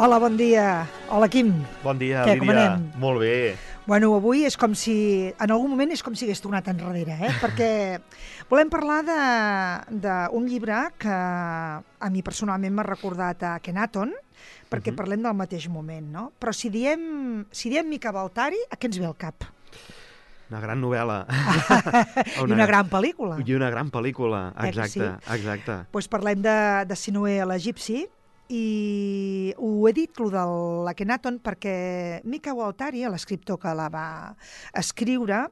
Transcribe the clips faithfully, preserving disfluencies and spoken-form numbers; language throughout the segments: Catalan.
Hola, bon dia. Hola, Quim. Bon dia, Què, Lídia. com anem? Molt bé. Bueno, avui és com si... En algun moment és com si hagués tornat enrere, eh? Perquè volem parlar d'un llibre que a mi personalment m'ha recordat a Akhenaton, perquè Mhm. parlem del mateix moment, no? Però si diem, si diem Mika Waltari, a què ens ve al cap? Una gran novel·la. I una gran pel·lícula. I una gran pel·lícula, Eh que exacte, sí? exacte. Doncs parlem de, de Sinuhe l'egipci, i ho he dit, lo de l'Akhenaton, perquè Mika Waltari, l'escriptor que la va escriure,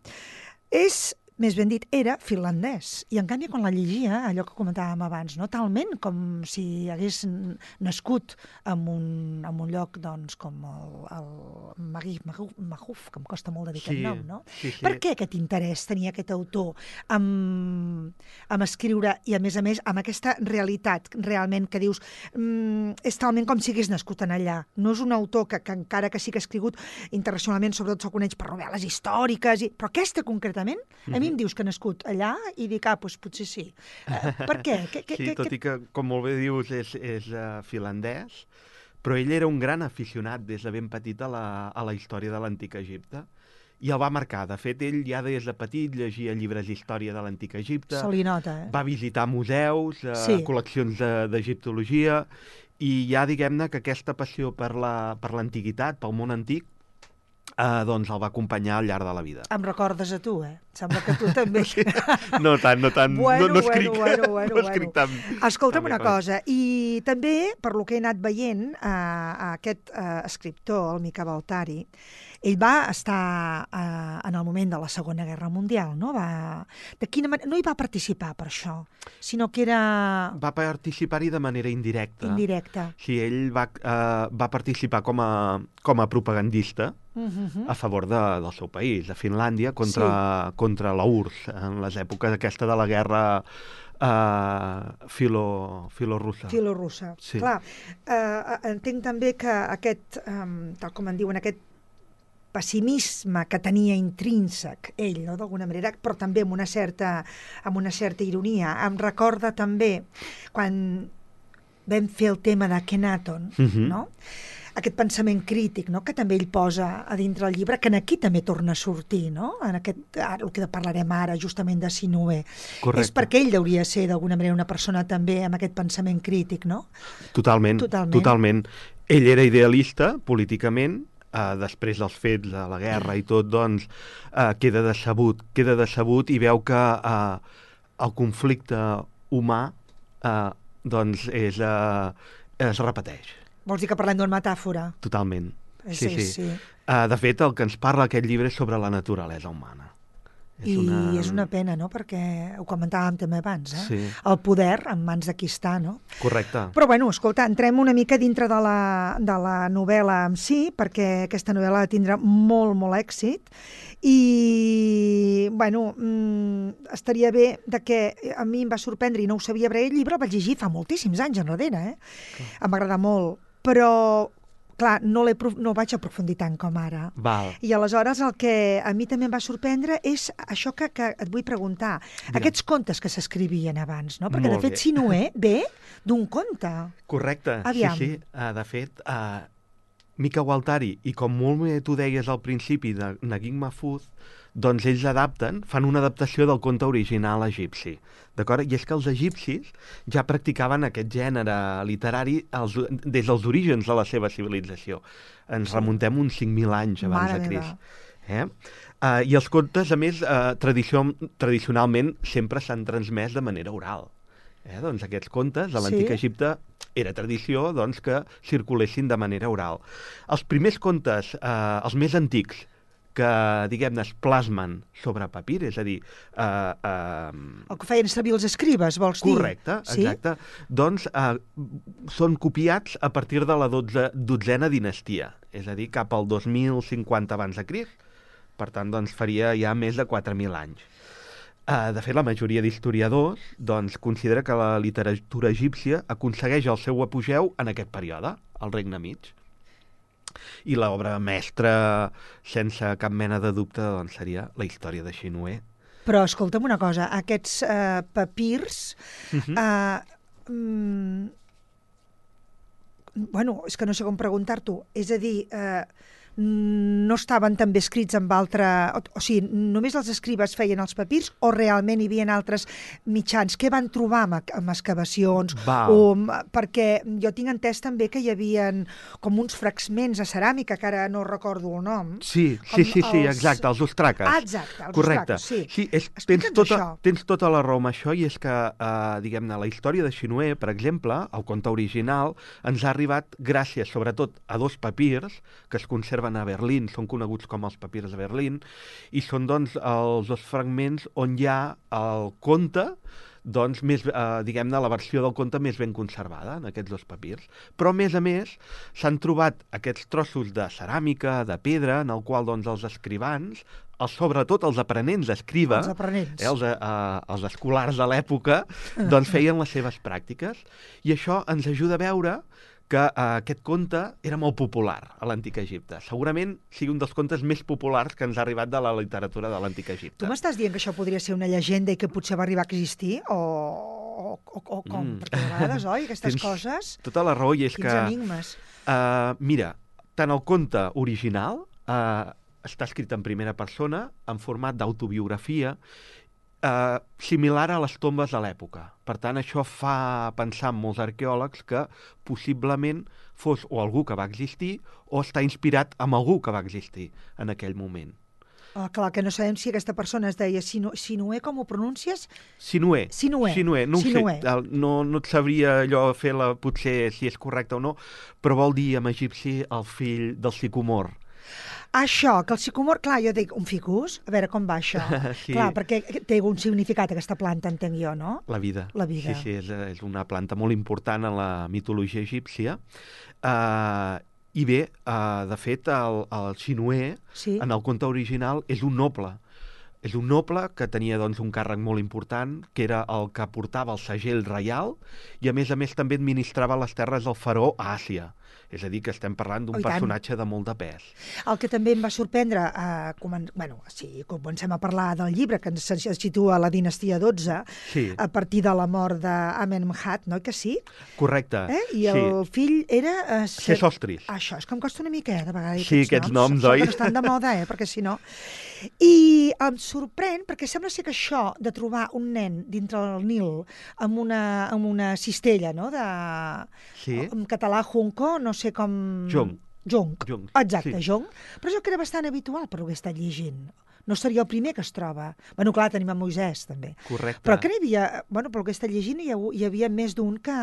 és, més ben dit, era finlandès. I en canvi, quan la llegia, allò que comentàvem abans, no? Talment com si hagués nascut en un, en un lloc, doncs, com el, el Magui Mahuf, que em costa molt de dir Sí, aquest nom, no? sí, sí. Per què aquest interès tenia aquest autor amb, amb escriure i, a més a més, amb aquesta realitat realment que dius mm, és talment com si hagués nascut en allà. No és un autor que, que encara que sí que ha escrigut internacionalment, sobretot se'l coneix per novel·les històriques, i... però aquesta concretament, a mi em dius que ha nascut allà i dic, ah, doncs potser sí. Uh, per què? Que, que, Sí, que, tot i que, com molt bé dius, és, és uh, finlandès, però ell era un gran aficionat des de ben petit a la, a la història de l'antic Egipte, i el va marcar. De fet, ell ja des de petit llegia llibres d'història de l'antic Egipte, se li nota, eh? va visitar museus, uh, Sí. col·leccions de- d'egiptologia, i ja diguem-ne que aquesta passió per la- per l'antiguitat, pel món antic, eh, doncs el va acompanyar al llarg de la vida. Em recordes a tu, eh? Sembla que tu també... No tant, no tant, Bueno, no, no escric, bueno, bueno, no escric bueno. tant. Escolta'm tan bé una com- cosa, i també, per lo que he anat veient, eh, aquest eh, escriptor, el Mika Waltari, ell va estar eh, en el moment de la Segona Guerra Mundial, no? Va, de quina manera, no hi va participar per això, sinó que era Va participar-hi de manera indirecta. indirecta. Sí, ell va, eh, va participar com a, com a propagandista Uh-huh. a favor de, del seu país, de Finlàndia, contra, sí. contra la U R S S, en les èpoques aquesta de la guerra eh, filo, filorussa. Filorussa. Sí. Clar, eh, entenc també que aquest, eh, tal com en diuen, aquest pessimisme que tenia intrínsec ell, no, d'alguna manera, però també amb una certa, amb una certa ironia. Em recorda també quan vam fer el tema d'Akhenaton, Mhm. no? Aquest pensament crític, no?, que també ell posa a dintre el llibre, que en aquí també torna a sortir, no?, en aquest, ara, el que parlarem ara, justament de Sinuhe. Correcte. És perquè ell hauria de ser, d'alguna manera, una persona també amb aquest pensament crític, no? Totalment, Totalment. totalment. Ell era idealista políticament, eh, després dels fets de la guerra i tot, doncs, eh, queda decebut, queda decebut i veu que eh, el conflicte humà eh, doncs és, eh, es repeteix, Vols dir que parlem d'una metàfora? totalment. Sí, Sí, sí. sí. Eh, de fet, el que ens parla aquest llibre és sobre la naturalesa humana. I una... és una pena, no?, perquè ho comentàvem també abans, eh? Sí. El poder en mans de qui està, no? Correcte. Però, bueno, escolta, entrem una mica dintre de la, de la novel·la en si, perquè aquesta novel·la tindrà molt, molt èxit, i, bueno, mmm, estaria bé de que a mi em va sorprendre i no ho sabia, perquè el llibre el vaig llegir fa moltíssims anys enrere, eh? Em va agradar molt, però, clar, no, l'he, prof- no ho vaig aprofundir tant com ara. Val. I aleshores el que a mi també em va sorprendre és això que, que et vull preguntar. Digue'm. Aquests contes que s'escrivien abans, no? Perquè, Molt de fet, bé. Sinuhe ve d'un conte. Correcte, Aviam. sí, sí. Uh, de fet, uh, Mika Waltari, i com molt bé tu deies al principi de Naguib Mahfouz, doncs ells adapten, fan una adaptació del conte original egipci. D'acord? I és que els egipcis ja practicaven aquest gènere literari els, des dels orígens de la seva civilització. Ens Sí. remuntem uns cinc mil anys abans Mare de meva. Crist. Eh? Uh, I els contes, a més, uh, tradició, tradicionalment sempre s'han transmès de manera oral. Eh? Doncs aquests contes de l'antic Sí. Egipte era tradició doncs, que circulessin de manera oral. Els primers contes, eh, els més antics, que, diguem-ne, es plasmen sobre papir, és a dir... Eh, eh, El que feien servir els escribes, vols dir? correcte, Sí? exacte, doncs eh, són copiats a partir de la dotze, dotzena dinastia, és a dir, cap al dos mil cinquanta abans de Crist, per tant, doncs, faria ja més de quatre mil anys. Uh, de fet, la majoria d'historiadors doncs, considera que la literatura egípcia aconsegueix el seu apogeu en aquest període, al Regne Mig. I l'obra mestra, sense cap mena de dubte, doncs, seria la història de Sinuhe. Però escolta'm una cosa, aquests eh, papirs... Uh -huh. eh, mm, bueno, és que no sé com preguntar-t'ho, és a dir, eh, no estaven també escrits amb altre... O, o sigui, només els escribes feien els papirs o realment hi havia altres mitjans? Què van trobar amb, amb excavacions? Val. O, perquè jo tinc entès també que hi havia com uns fragments a ceràmica, que ara no recordo el nom. Sí, sí, sí, sí, els... exacte, els ostraques. Ah, exacte, els Correcte. ostraques, sí. Sí, és, tens, tota, tens tota la raó amb això, i és que, eh, diguem-ne, la història de Xinue, per exemple, el conte original, ens ha arribat gràcies, sobretot, a dos papirs que es conserven a Berlín, són coneguts com els papirs de Berlín, i són, doncs, els dos fragments on hi ha el conte, doncs, més, eh, diguem-ne, la versió del conte més ben conservada en aquests dos papirs. Però, a més a més, s'han trobat aquests trossos de ceràmica, de pedra, en el qual, doncs, els escrivans, els, sobretot els aprenents d'escriba, els, aprenents. eh, els, eh, els escolars de l'època, doncs feien les seves pràctiques. I això ens ajuda a veure que eh, aquest conte era molt popular a l'Antic Egipte. Segurament sigui un dels contes més populars que ens ha arribat de la literatura de l'Antic Egipte. Tu m'estàs dient que això podria ser una llegenda i que potser va arribar a existir? O, o, o, o com? Mm. Perquè a vegades, oi, aquestes Tens coses... tota la raó, i és quins que... enigmes. Uh, mira, tant el conte original uh, està escrit en primera persona, en format d'autobiografia, Uh, similar a les tombes de l'època. Per tant, això fa pensar en molts arqueòlegs que possiblement fos o algú que va existir o està inspirat en algú que va existir en aquell moment. Ah, clar, que no sabem si aquesta persona es deia Sinu Sinué, com ho pronuncies? Sinué. Sinué. Sinué. No, Sinué. Sé, no, no et sabria allò fer la, potser si és correcte o no, però vol dir en egipci el fill del sicomor. Això, que el sicomor, clar, jo dic, un ficus? A veure, com va això? Sí. Clar, perquè té un significat aquesta planta, entenc jo, no? La vida. La vida. Sí, sí, és, és una planta molt important en la mitologia egípcia. Uh, I bé, uh, de fet, el, el Sinué, sí, en el conte original, és un noble. És un noble que tenia, doncs, un càrrec molt important, que era el que portava el segell reial, i a més a més també administrava les terres del faraó a Àsia. És a dir, que estem parlant d'un personatge de molt de pes. El que també em va sorprendre, eh, comen... bueno, si comencem a parlar del llibre, que ens situa a la dinastia dotze, sí, a partir de la mort d'Amenemhat, no? Que sí? Correcte. Eh? I el sí. fill era... Eh, Sesostris. Això, és que em costa una mica, eh, de vegades. Sí, aquests noms, noms oi? Que no estan de moda, eh, perquè si no... I em sorprèn, perquè sembla ser que això de trobar un nen dintre del Nil amb una, amb una cistella, no?, de... Sí. En català, junco, no sé com... Jong. Jong. Jong. Exacte, sí. Jong. Però això que era bastant habitual per ho que he estat llegint. No seria el primer que es troba. Bueno, clar, tenim a Moisès, també. Correcte. Però que n'hi havia... Bueno, pel que he estat llegint, hi, ha, hi havia més d'un que...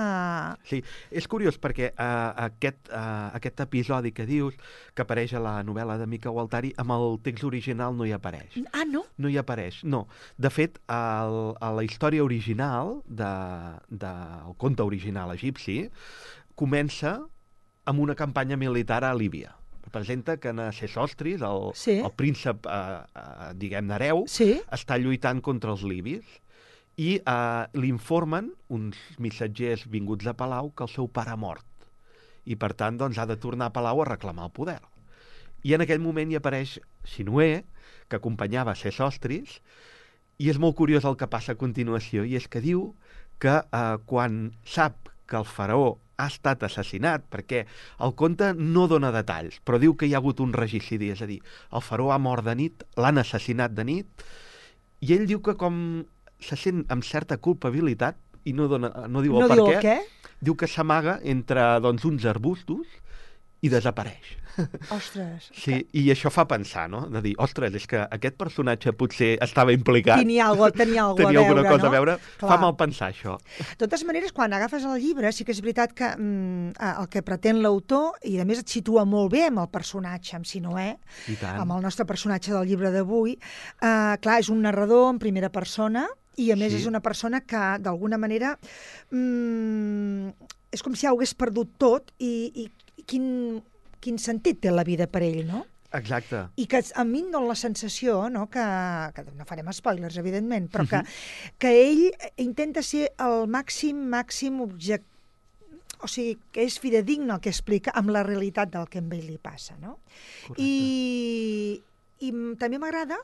Sí, és curiós perquè uh, aquest, uh, aquest episodi que dius, que apareix a la novel·la de Mica Gualtari, amb el text original no hi apareix. Ah, no? No hi apareix, no. De fet, el, a la història original, del de, de, el conte original egipci, comença amb una campanya militar a Líbia. Presenta que en Sesostris, el, sí. el príncep, eh, eh, diguem-ne, hereu, sí. està lluitant contra els libis i eh, li informen uns missatgers vinguts de Palau que el seu pare ha mort i, per tant, doncs, ha de tornar a Palau a reclamar el poder. I en aquell moment hi apareix Sinué, que acompanyava Sesostris, i és molt curiós el que passa a continuació, i és que diu que eh, quan sap que el faraó ha estat assassinat, perquè el conte no dona detalls, però diu que hi ha hagut un regicidi, és a dir, el faraó ha mort de nit, l'han assassinat de nit, i ell diu que com se sent amb certa culpabilitat, i no, dona, no diu el no per diu què, el què, diu que s'amaga entre, doncs, uns arbustos i desapareix. Ostres. Sí, i això fa pensar, no? De dir, ostres, és que aquest personatge potser estava implicat. Tenia, algo, tenia, algo tenia a veure, alguna cosa no? a veure. Clar. Fa mal pensar, això. De totes maneres, quan agafes el llibre, sí que és veritat que mm, el que pretén l'autor, i a més et situa molt bé amb el personatge, amb Sinué, amb el nostre personatge del llibre d'avui, eh, clar, és un narrador en primera persona, i a més sí. és una persona que, d'alguna manera, mm, és com si ja ho hagués perdut tot, i, i quin... quin sentit té la vida per ell, no? Exacte. I que a mi em dona la sensació, no?, que, que no farem spoilers, evidentment, però que, uh-huh. que ell intenta ser el màxim, màxim objecte, o sigui, que és fidedigne el que explica amb la realitat del que amb ell li passa, no? Correcte. I, i també m'agrada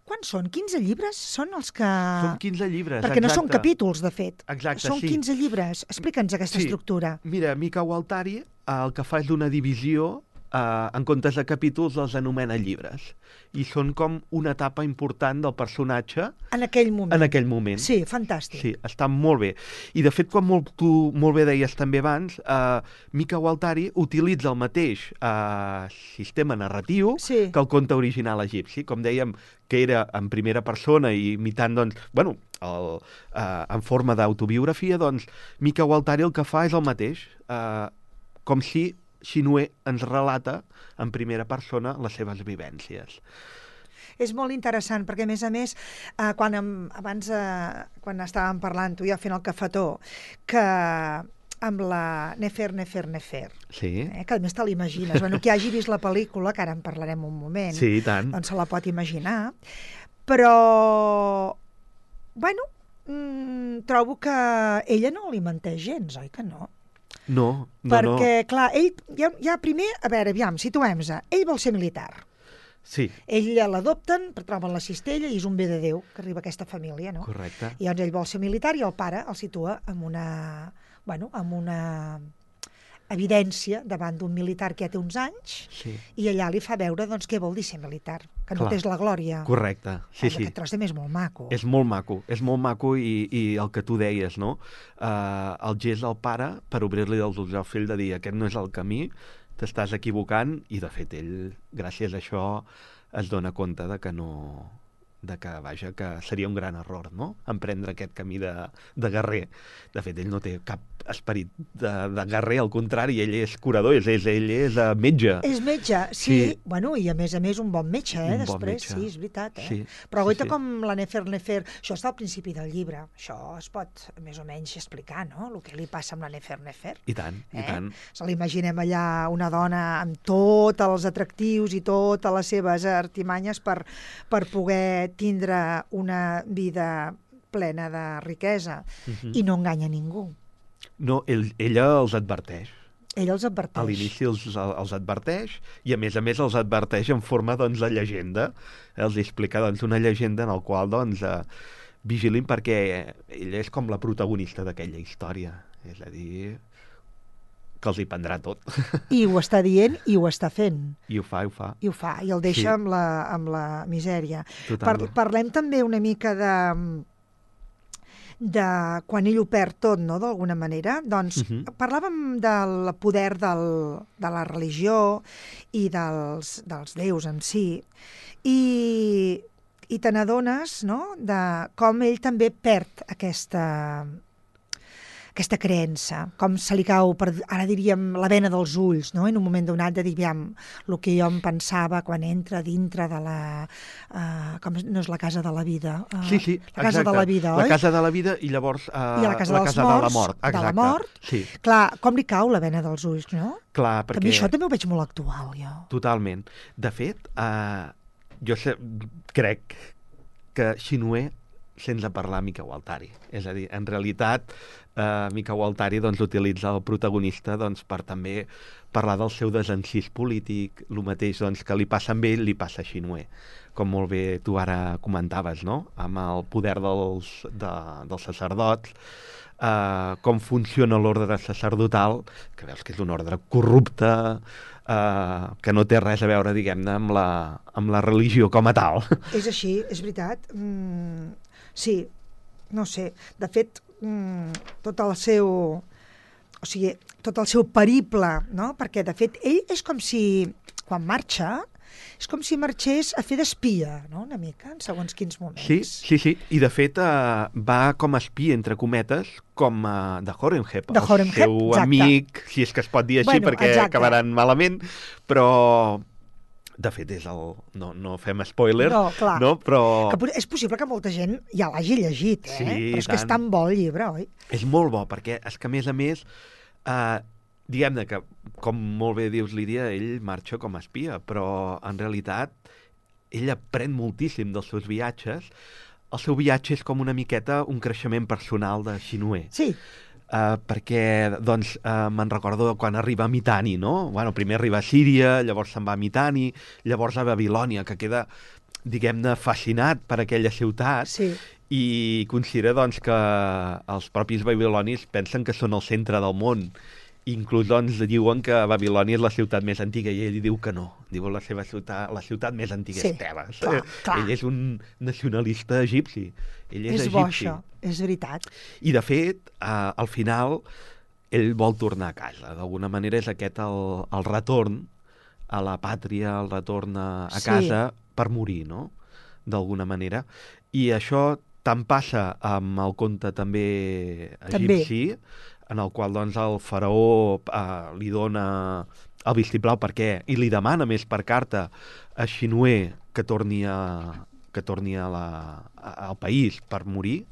Quants són? quinze llibres? Són els que... Són quinze llibres, Perquè exacte. no són capítols, de fet. Exacte, són sí. quinze llibres. Explica'ns aquesta Sí. estructura. Mira, Mika Waltari el que fa és una divisió, eh, en comptes de capítols els anomena llibres. I són com una etapa important del personatge En aquell moment. en aquell moment. Sí, fantàstic. Sí, està molt bé. I de fet, com molt, tu molt bé deies també abans, eh, Mika Waltari utilitza el mateix eh, sistema narratiu Sí. que el conte original egipci. Com dèiem, que era en primera persona i imitant, doncs, bueno, el, eh, en forma d'autobiografia, doncs, Mika Waltari el que fa és el mateix. Eh, com si Xinue ens relata en primera persona les seves vivències. És molt interessant, perquè, a més a més, eh, quan em, abans, eh, quan estàvem parlant, tu i jo fent el cafetó, que amb la Nefer, Nefer, Nefer, Sí, eh, que a més te l'imagines. Bueno, qui hagi vist la pel·lícula, que ara en parlarem un moment, sí, i tant. doncs se la pot imaginar, però, bueno, mm, trobo que ella no li menteix gens, oi que no? No, no, Perquè, no. clar, ell, ja, ja primer, a veure, aviam, situem-se, ell vol ser militar. Sí, Ell l'adopten, troben la cistella i és un bé de Déu que arriba a aquesta família, no? correcte. I llavors ell vol ser militar i el pare el situa amb una, bueno, amb una evidència davant d'un militar que ja té uns anys Sí, i allà li fa veure doncs, què vol dir ser militar, que no Clar. és la glòria. correcte. Sí, sí. Aquest tros també és molt maco. És molt maco, és molt maco i, i el que tu deies, no? Uh, el gest del pare per obrir-li els ulls al fill de dir aquest no és el camí, t'estàs equivocant, i de fet ell, gràcies a això, es dona compte de que no... de que, vaja, que seria un gran error, no?, emprendre aquest camí de, de guerrer. De fet, ell no té cap esperit de, de guerrer, al contrari, ell és curador, és, és, ell és uh, metge. És metge, sí, Sí. bueno, i a més a més un bon metge, eh, Un bon després, metge. sí, és veritat, eh? Sí, Però sí, goita sí. com la Nefer Nefer, això està al principi del llibre, això es pot més o menys explicar, no?, el que li passa amb la Nefer Nefer. I tant, i Eh? tant. Se l'imaginem allà una dona amb tots els atractius i totes les seves artimanyes per, per poder tindre una vida plena de riquesa Mhm. i no enganya ningú. No, ell, ella els adverteix. Ell els adverteix. A l'inici els, els adverteix i, a més a més, els adverteix en forma doncs, de llegenda. Els explica doncs, una llegenda en la qual doncs, eh, vigilin perquè ella és com la protagonista d'aquella història. És a dir, que els hi prendrà tot. I ho està dient i ho està fent. I ho fa, i ho fa. I ho fa, i el deixa Sí. amb, la, amb la misèria. Par Totalment. parlem també una mica de de quan ell ho perd tot, no?, d'alguna manera. Doncs Mhm. parlàvem del poder del, de la religió i dels, dels déus en si, i, i te n'adones, no?, de com ell també perd aquesta, aquesta creença, com se li cau, per, ara diríem, la vena dels ulls, no?, en un moment donat de dir, aviam, el que jo em pensava quan entra dintre de la... Uh, com no és la casa de la vida? Uh, Sí, sí, la casa exacte. de la vida, oi? La casa de la vida i llavors uh, I a la casa la dels casa de la morts, mort. de la Exacte. mort. Sí, Clar, com li cau la vena dels ulls, no? clar, Que a perquè... mi això també ho veig molt actual, jo. Totalment. De fet, uh, jo sé, crec que Xinue sense parlar Mika Waltari. És a dir, en realitat, eh, Mika Waltari doncs, utilitza el protagonista doncs, per també parlar del seu desencís polític, el mateix doncs, que li passa amb ell, li passa a Xinue. Com molt bé tu ara comentaves, no?, amb el poder dels, de, dels sacerdots, eh, com funciona l'ordre sacerdotal, que veus que és un ordre corrupte, eh, que no té res a veure, diguem-ne, amb la, amb la religió com a tal. És així, és veritat. Mm, sí, no sé. De fet, mm, tot el seu... O sigui, tot el seu periple, no? Perquè, de fet, ell és com si, quan marxa, és com si marxés a fer d'espia, no?, una mica, en segons quins moments. Sí, sí, sí. I, de fet, eh, va com a espia, entre cometes, com eh, de Horemheb, De Horemheb, el seu exacte. amic, si és que es pot dir així, Bueno, perquè exacte. acabaran malament, però... De fet, és el... No, no fem spoiler, No, clar. no? Però Que pot- és possible que molta gent ja l'hagi llegit, eh? Sí, Però és que és tant. tan bo el llibre, oi? és molt bo, perquè és que, a més a més, eh, diguem-ne que, com molt bé dius, Lídia, ell marxa com a espia, però en realitat ell aprèn moltíssim dels seus viatges. El seu viatge és com una miqueta un creixement personal de Xinue. Sí, Uh, perquè, doncs, uh, me'n recordo quan arriba a Mitanni, no? Bueno, primer arriba a Síria, llavors se'n va a Mitanni, llavors a Babilònia, que queda diguem-ne, fascinat per aquella ciutat Sí. i considera doncs, que els propis babilonis pensen que són el centre del món. Inclús doncs, diuen que Babilònia és la ciutat més antiga i ell diu que no. Diu la seva ciutat, la ciutat més antiga Sí, és Tebes. clar, clar. Ell és un nacionalista egipci. Ell és, És bo, egipci. això, és veritat. I, de fet, eh, al final, ell vol tornar a casa. D'alguna manera és aquest el, el retorn a la pàtria, el retorn a, a Sí. casa per morir, no? D'alguna manera. I això tant passa amb el conte també egipci, també. En el qual doncs, el faraó eh, li dona el vistiplau per què, i li demana més per carta a Xinué que torni, a, que torni a la, a, al país per morir,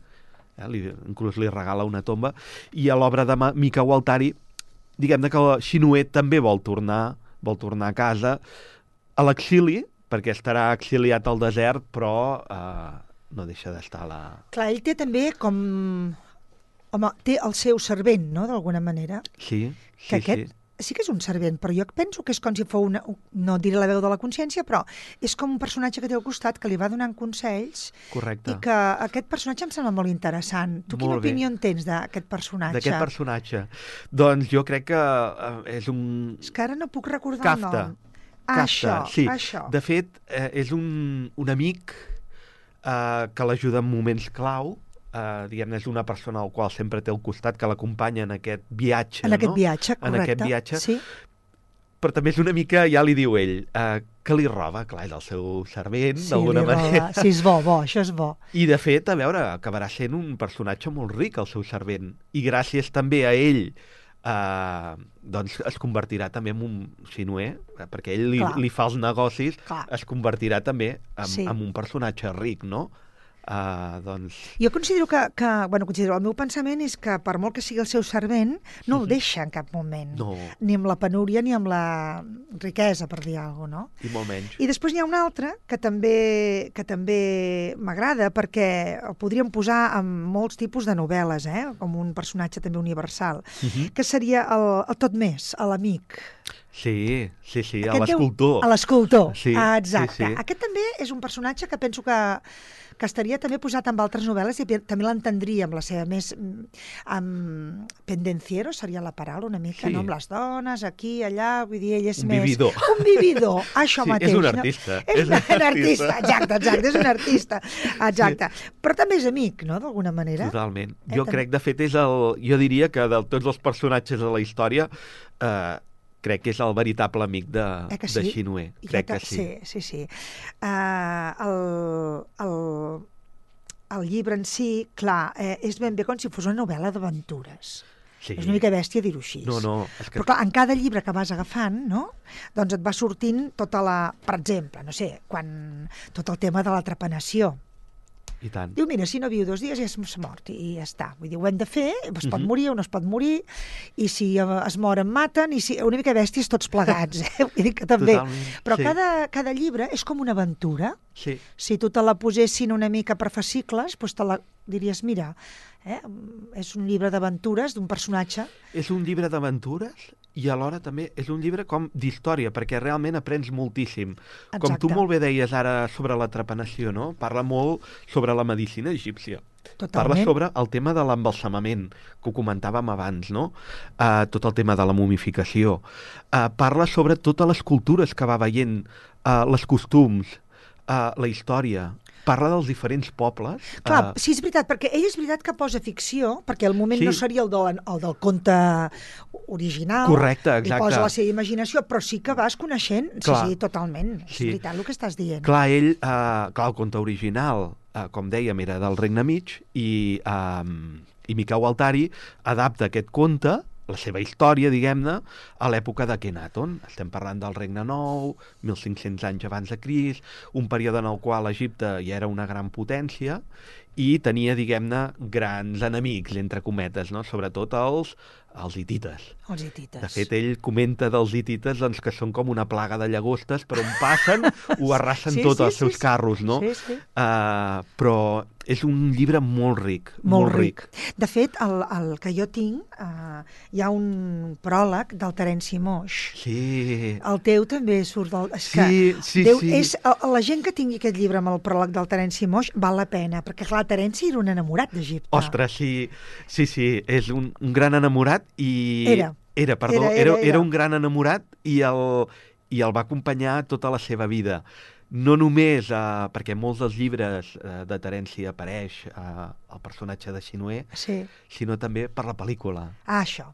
eh? li, inclús li regala una tomba, i a l'obra de Mika Waltari, diguem-ne que Xinué també vol tornar, vol tornar a casa, a l'exili, perquè estarà exiliat al desert, però eh, no deixa d'estar a la... Clar, ell té també com... Home, té el seu servent, no?, d'alguna manera. Sí, sí, que aquest sí. sí que és un servent, però jo penso que és com si fos una... No diré la veu de la consciència, però és com un personatge que té al costat que li va donant consells. Correcte. I que aquest personatge em sembla molt interessant. Tu quina Molt bé. opinió en tens d'aquest personatge? D'aquest personatge? Doncs jo crec que eh, és un... És que ara no puc recordar Kafka. el nom. Ah, Kafka, això, sí. això. De fet, eh, és un, un amic eh, que l'ajuda en moments clau. Uh, diguem-ne, és una persona al qual sempre té al costat, que l'acompanya en aquest viatge. En aquest no? viatge, correcte. En aquest viatge. Sí. Però també és una mica, ja li diu ell, uh, que li roba, clar, és el seu servent, Sí, d'alguna li roba. manera. Sí, és bo, bo, això és bo. I, de fet, a veure, acabarà sent un personatge molt ric, el seu servent. I gràcies també a ell, uh, doncs es convertirà també en un xinué, perquè ell li, Clar. li fa els negocis, Clar. es convertirà també en, Sí. en un personatge ric, no? Uh, doncs... Jo considero que, que, bueno, considero, el meu pensament és que per molt que sigui el seu servent, no el deixa en cap moment. No. Ni amb la penúria ni amb la riquesa, per dir alguna cosa, no? I molt menys. I després n'hi ha un altre que també, que també m'agrada perquè el podríem posar en molts tipus de novel·les, eh? Com un personatge també universal, Uh-huh. que seria el, el tot més, l'amic. Sí, sí, sí, a Aquest deu- l'escultor. A l'escultor, Sí, ah, exacte. sí, sí. Aquest també és un personatge que penso que, que estaria també posat en altres novel·les i pe- també l'entendria amb la seva més... mm, amb pendenciero seria la paraula una mica, Sí. no? Amb les dones, aquí, allà, vull dir, ell és Un més... vividor. Un vividor, això Sí, mateix. és un no? artista, És, és un, un artista, artista. exacte, exacte, és un artista, exacte. Però també és amic, no?, d'alguna manera. Totalment. Eh, Jo també. crec, de fet, és el... Jo diria que de tots els personatges de la història, eh, crec que és el veritable amic de, Eh que de sí? Xinué. Jo Crec ta- que sí. Sí, sí, sí. Uh, el, el, el llibre en si, clar, eh, és ben bé com si fos una novel·la d'aventures. Sí. És una mica bèstia dir-ho així. No, no, és que... Però clar, en cada llibre que vas agafant, no?, doncs et va sortint tota la... Per exemple, no sé, quan... tot el tema de la trepanació. I tant. Diu, mira, si no viu dos dies ja és mort i ja està. Vull dir, ho hem de fer, es pot Mhm. morir o no es pot morir, i si eh, es moren, maten, i si... Una mica bèsties tots plegats, eh? Vull dir que també. Totalment, Però sí. cada, cada llibre és com una aventura. Sí. Si tu te la posessin una mica per fascicles, doncs te la diries, mira, eh? és un llibre d'aventures d'un personatge. És un llibre d'aventures i alhora també és un llibre com d'història, perquè realment aprens moltíssim. Com tu Exacte. molt bé deies ara sobre la trepanació, no? Parla molt sobre la medicina egípcia. Parla Totalment. sobre el tema de l'embalsamament, que ho comentàvem abans, no? Uh, tot el tema de la momificació. Uh, parla sobre totes les cultures que va veient, uh, les costums, uh, la història. Parla dels diferents pobles. Clar, uh, sí, és veritat, perquè ell és veritat que posa ficció, perquè el moment Sí. no seria el, de, el del conte original. Correcte, Li exacte. posa la seva imaginació, però sí que vas coneixent. Sí, Clar. sí, totalment. És Sí. veritat el que estàs dient. Clar, ell, uh, clar, el conte original, uh, com dèiem, era del Regne Mig, i, um, i Mika Waltari adapta aquest conte, la seva història, diguem-ne, a l'època d'Akhenaton. Estem parlant del Regne Nou, mil cinc-cents anys abans de Crist, un període en el qual Egipte ja era una gran potència i tenia, diguem-ne, grans enemics, entre cometes, no? Sobretot els, els hitites. Els hitites. De fet, ell comenta dels hitites doncs, que són com una plaga de llagostes, per on passen ho arrasen Sí, tot sí, els sí, seus sí. carros, no? Sí, sí. Uh, però és un llibre molt ric. Molt, molt ric. ric. De fet, el, el que jo tinc, eh, hi ha un pròleg del Terenci Moix. Sí. El teu també surt del... És sí, que sí, Déu, sí. És, la gent que tingui aquest llibre amb el pròleg del Terenci Moix val la pena, perquè clar, Terenci era un enamorat d'Egipte. Ostres, sí, sí, sí, és un, un gran enamorat i... Era. Era, perdó, era, era, era, era. era un gran enamorat i el, i el va acompanyar tota la seva vida. No només eh, perquè molts dels llibres eh, de Terenci apareix eh, el personatge de Sinué, sí. sinó també per la pel·lícula. Ah, això.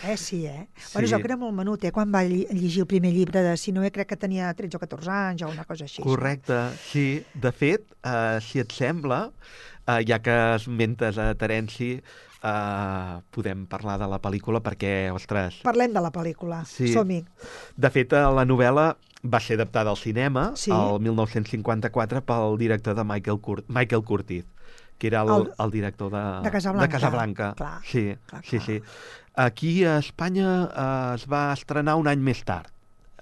Eh, sí, eh? Sí. Bueno, jo que era molt menut, eh? Quan va llegir el primer llibre de Sinué, crec que tenia tretze o catorze anys o una cosa així. Correcte, sí. De fet, eh, si et sembla, eh, ja que esmentes a Terenci, eh, podem parlar de la pel·lícula perquè, ostres... Parlem de la pel·lícula, sí. som-hi. De fet, la novel·la va ser adaptada al cinema sí. el mil nou-cents cinquanta-quatre pel director de Michael, Cur Michael Curtiz, que era el, el, el director de, de Casablanca. De Casablanca. Clar, sí, clar, sí, clar. sí. Aquí a Espanya eh, es va estrenar un any més tard,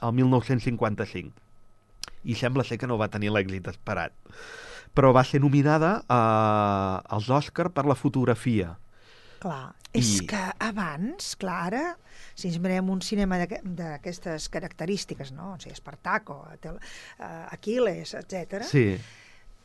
el mil nou-cents cinquanta-cinc, i sembla ser que no va tenir l'èxit esperat. Però va ser nominada eh, als Òscar per la fotografia. Clar, I... és que abans, clar, ara, si ens mirem un cinema d'aquestes característiques, no? O sigui, Espartaco, uh, Aquiles, etcètera. Sí.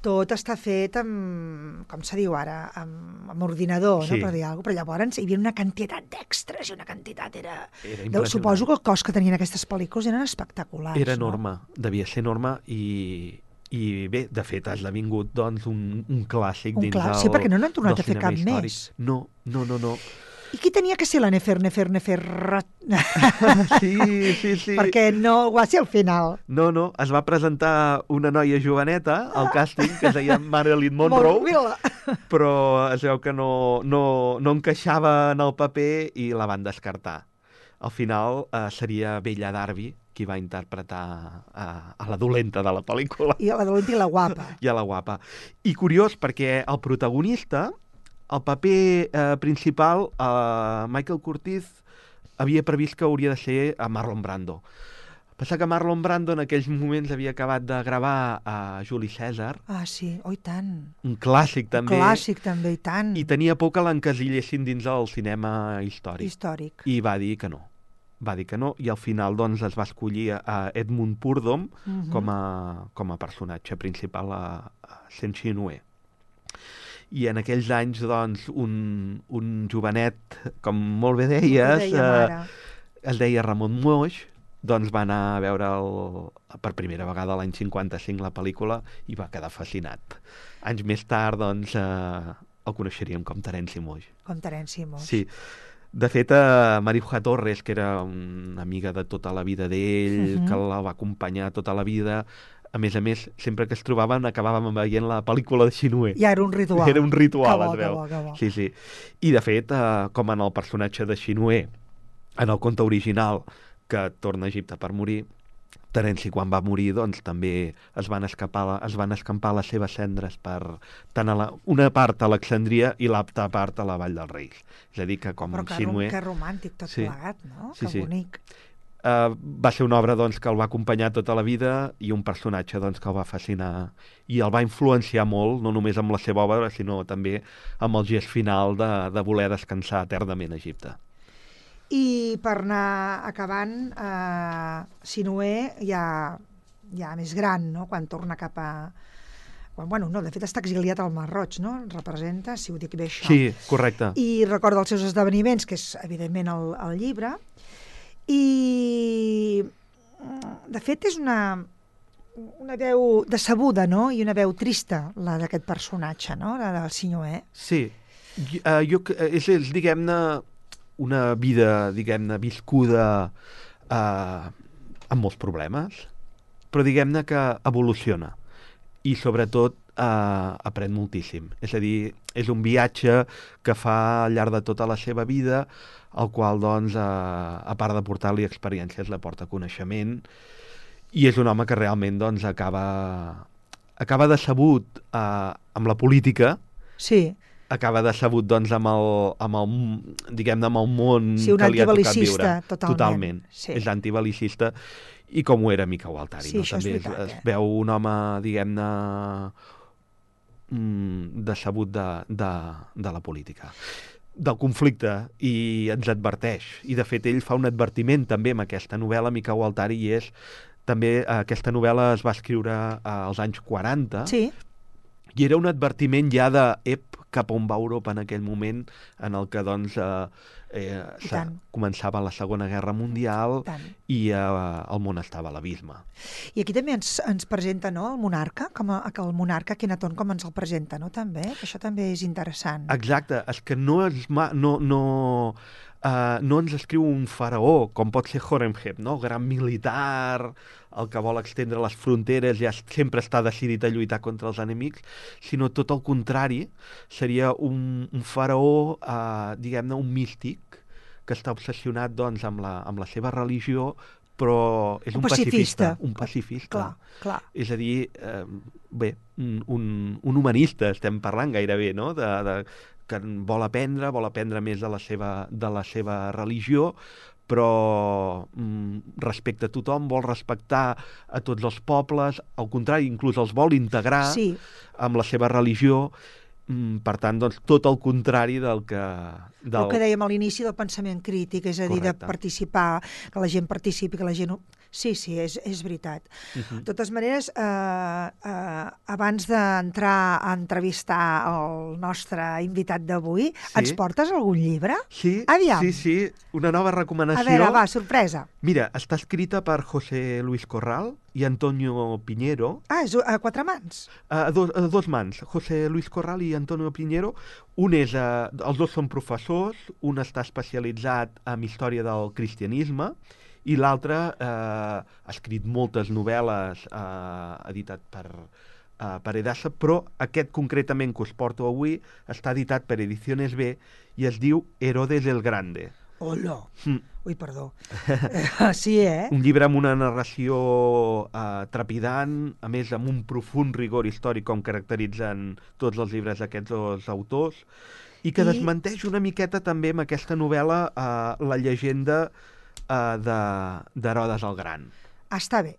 Tot està fet amb, com se diu ara, amb, amb ordinador, sí. no? Per dir alguna cosa. Però llavors hi havia una quantitat d'extras i una quantitat era... era Suposo que el cost que tenien aquestes pel·lícules eren espectaculars. Era enorme, no? devia ser enorme i... I bé, de fet, ha esdevingut doncs, un, un clàssic un dins clàssic, del sí, perquè no n'han tornat a fer cap històric. més. No, no, no, no. I qui tenia que ser la Nefer, Nefer, Nefer? Sí, sí, sí. Perquè no va ser al final. No, no, es va presentar una noia joveneta al càsting que es deia Marilyn Monroe, però es veu que no, no, no encaixava en el paper i la van descartar. Al final eh, seria Bella Darby qui va interpretar uh, a la dolenta de la pel·lícula. I a la dolenta i la guapa. I a la guapa. I curiós, perquè el protagonista, el paper eh, principal, eh, Michael Curtiz, havia previst que hauria de ser a Marlon Brando. Passa que Marlon Brando en aquells moments havia acabat de gravar a Juli César. Ah, sí, oh, i tant. Un clàssic, també. Un clàssic, també, i tant. I tenia por que l'encasillessin dins el cinema històric. Històric. I va dir que no. Va dir que no, i al final doncs, es va escollir a Edmund Purdom uh-huh. com, a, com a personatge principal a, a Saint-Sinué. I en aquells anys, doncs, un, un jovenet, com molt bé deies, deia, eh, es deia Ramon Moix, doncs va anar a veure el, per primera vegada l'any cinquanta-cinc la pel·lícula i va quedar fascinat. Anys més tard, doncs, eh, el coneixeríem com Terenci Moix. Com Terenci Moix. Sí. De fet, eh, Marijuà Torres, que era una amiga de tota la vida d'ell, uh-huh. que la va acompanyar tota la vida, a més a més, sempre que es trobaven acabàvem veient la pel·lícula de Sinué. Ja era un ritual. Era un ritual, bo, es veu. Que bo, que bo. Sí, sí. I de fet, eh, com en el personatge de Sinué, en el conte original, que torna a Egipte per morir, Terenci, quan va morir, doncs també es van escapar, es van escampar les seves cendres per tant a la, una part a Alexandria i l'altra part a la Vall dels Reis. És a dir, que com Però que, Sinué... que romàntic tot sí. plegat, no? Sí, que sí. bonic. Uh, va ser una obra doncs, que el va acompanyar tota la vida i un personatge doncs, que el va fascinar i el va influenciar molt, no només amb la seva obra, sinó també amb el gest final de, de voler descansar eternament a Egipte. I per anar acabant, eh, Sinué ja, ja més gran, no? Quan torna cap a... Quan, bueno, no, de fet està exiliat al Mar Roig, no? Representa, si ho dic bé això. Sí, correcte. I recorda els seus esdeveniments, que és evidentment el, el llibre, i de fet és una, una veu decebuda, no? I una veu trista, la d'aquest personatge, no? La del Sinué. Sí, uh, jo, és, és diguem-ne, una vida, diguem-ne, viscuda eh, amb molts problemes, però diguem-ne que evoluciona i sobretot eh, aprèn moltíssim. És a dir, és un viatge que fa al llarg de tota la seva vida, el qual, doncs, eh, a part de portar-li experiències, la porta coneixement, i és un home que realment, doncs, acaba, acaba decebut eh, amb la política. Sí. Acaba decebut, doncs, amb el, amb el, diguem-ne, amb el món sí, que li ha tocat viure. Totalment. Totalment. Sí. És antibelicista, i com ho era Mica Gualtari. Sí, no? També veritat, es, eh? es veu un home, diguem-ne, mm, decebut de, de, de la política, del conflicte, i ens adverteix. I, de fet, ell fa un advertiment també amb aquesta novel·la, Miquel Gualtari, i és també, aquesta novel·la es va escriure als anys quaranta, Sí. i era un advertiment ja de ep, cap on va Europa en aquell moment, en el que doncs, eh, eh, començava la Segona Guerra Mundial i eh, el món estava a l'abisme. I aquí també ens, ens presenta, no?, el monarca, com a, que el monarca Akhenaton com ens el presenta, no?, també, que això també és interessant. Exacte, és que no és... Ma, no, no, uh, no ens escriu un faraó, com pot ser Horemheb, no?, gran militar, el que vol extendre les fronteres, ja sempre està decidit a lluitar contra els enemics, sinó tot el contrari, seria un, un faraó, eh, diguem-ne, un místic, que està obsessionat, doncs, amb la, amb la seva religió, però és un, un pacifista. pacifista. Un pacifista. Clar, clar. És a dir, eh, bé, un, un humanista estem parlant gairebé, no?, de, de, que vol aprendre, vol aprendre més de la seva, de la seva religió, però mm, respecta a tothom, vol respectar a tots els pobles, al contrari, inclús els vol integrar sí. amb la seva religió, mm, per tant, doncs, tot el contrari del que... Del... El que dèiem a l'inici del pensament crític, és a dir, Correcte. De participar, que la gent participi, que la gent... Sí, sí, és, és veritat. Uh-huh. De totes maneres, eh, eh, abans d'entrar a entrevistar el nostre invitat d'avui, sí. ens portes algun llibre? Sí, Aviam. sí, sí, una nova recomanació. A veure, va, sorpresa. Mira, està escrita per José Luis Corral i Antonio Piñero. Ah, és a quatre mans? A, do, a dos mans, José Luis Corral i Antonio Piñero. Un és, eh, els dos són professors, un està especialitzat en història del cristianisme, i l'altre eh, ha escrit moltes novel·les, eh, editat per, eh, per Edasa, però aquest concretament que us porto avui està editat per Ediciones B i es diu Herodes el Grande. Hola! Mm. Ui, perdó. Sí, eh? Un llibre amb una narració eh, trepidant, a més amb un profund rigor històric com caracteritzen tots els llibres d'aquests dos autors, i que I... desmenteix una miqueta també amb aquesta novel·la eh, la llegenda Uh, d'Herodes el Gran. Està bé.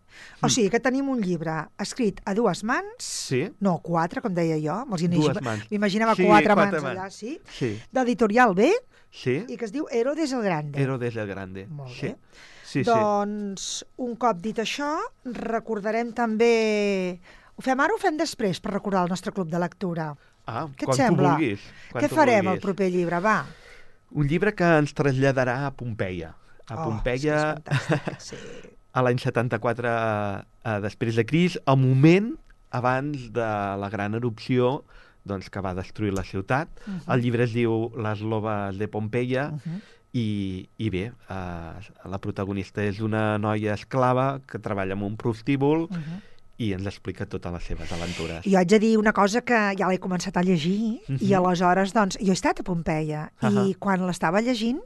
O sigui que tenim un llibre escrit a dues mans, sí. no, quatre, com deia jo, dues mans. M'imaginava sí, quatre, quatre mans, mans allà, sí, sí. d'Editorial B, sí. i que es diu Herodes el Grande. Herodes el Grande. Molt sí. bé. Sí, doncs, sí. un cop dit això, recordarem també... Ho fem ara o ho fem després per recordar el nostre club de lectura? Ah, Què quan et sembla? tu vulguis. Quan Què tu farem vulguis. al proper llibre, va? Un llibre que ens traslladarà a Pompeia. A Pompeia, oh, sí. a l'any setanta-quatre eh, després de Cris, al moment abans de la gran erupció doncs, que va destruir la ciutat. Uh-huh. El llibre es diu Les loves de Pompeia, uh-huh. i, i bé, eh, la protagonista és una noia esclava que treballa en un prostíbul, uh-huh. i ens explica totes les seves aventures. Jo haig de dir una cosa que ja l'he començat a llegir, uh-huh. i aleshores, doncs, jo he estat a Pompeia, uh-huh. i quan l'estava llegint,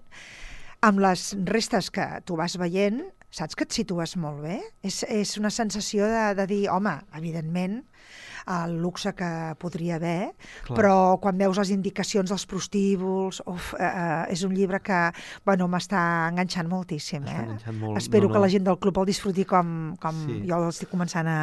amb les restes que tu vas veient, saps que et situes molt bé? És, és una sensació de, de dir, home, evidentment, el luxe que podria haver, Clar. Però quan veus les indicacions dels prostíbuls, uf, eh, és un llibre que, bueno, m'està enganxant moltíssim. Eh? Enganxant molt. Espero no, no. que la gent del club el disfruti com, com sí. jo l'estic començant a,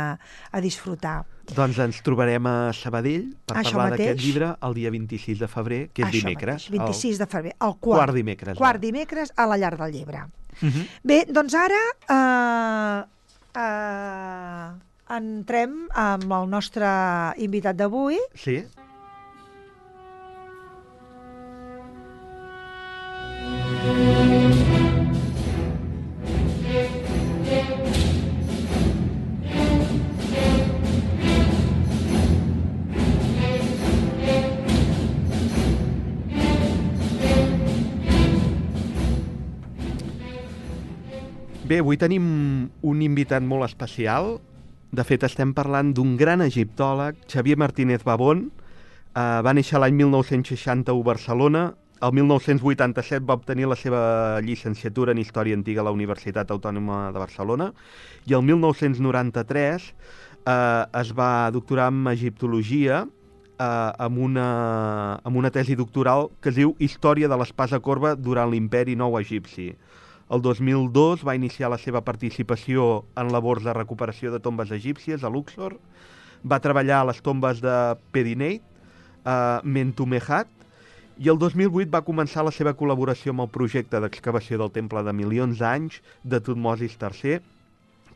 a disfrutar. Doncs ens trobarem a Sabadell per Això parlar mateix. d'aquest llibre el dia vint-i-sis de febrer, que és Això dimecres. Mateix, vint-i-sis el... de febrer, el quart, quart dimecres. Quart dimecres a la Llar del Llebre. Uh-huh. Bé, doncs ara eh, eh, entrem amb el nostre invitat d'avui. Sí. Bé, avui tenim un invitat molt especial. De fet, estem parlant d'un gran egiptòleg, Xavier Martínez Babón. Uh, va néixer l'any mil nou-cents seixanta-u a Barcelona. El mil nou-cents vuitanta-set va obtenir la seva llicenciatura en Història Antiga a la Universitat Autònoma de Barcelona. I el mil nou-cents noranta-tres uh, es va doctorar en Egiptologia uh, amb, una, amb una tesi doctoral que es diu Història de l'espasa corba durant l'imperi nou egipci. El dos mil dos va iniciar la seva participació en labors de recuperació de tombes egípcies a Luxor. va treballar a les tombes de Pedineit, a Mentumehat, i el dos mil vuit va començar la seva col·laboració amb el projecte d'excavació del temple de milions d'anys de Tutmosis tercer,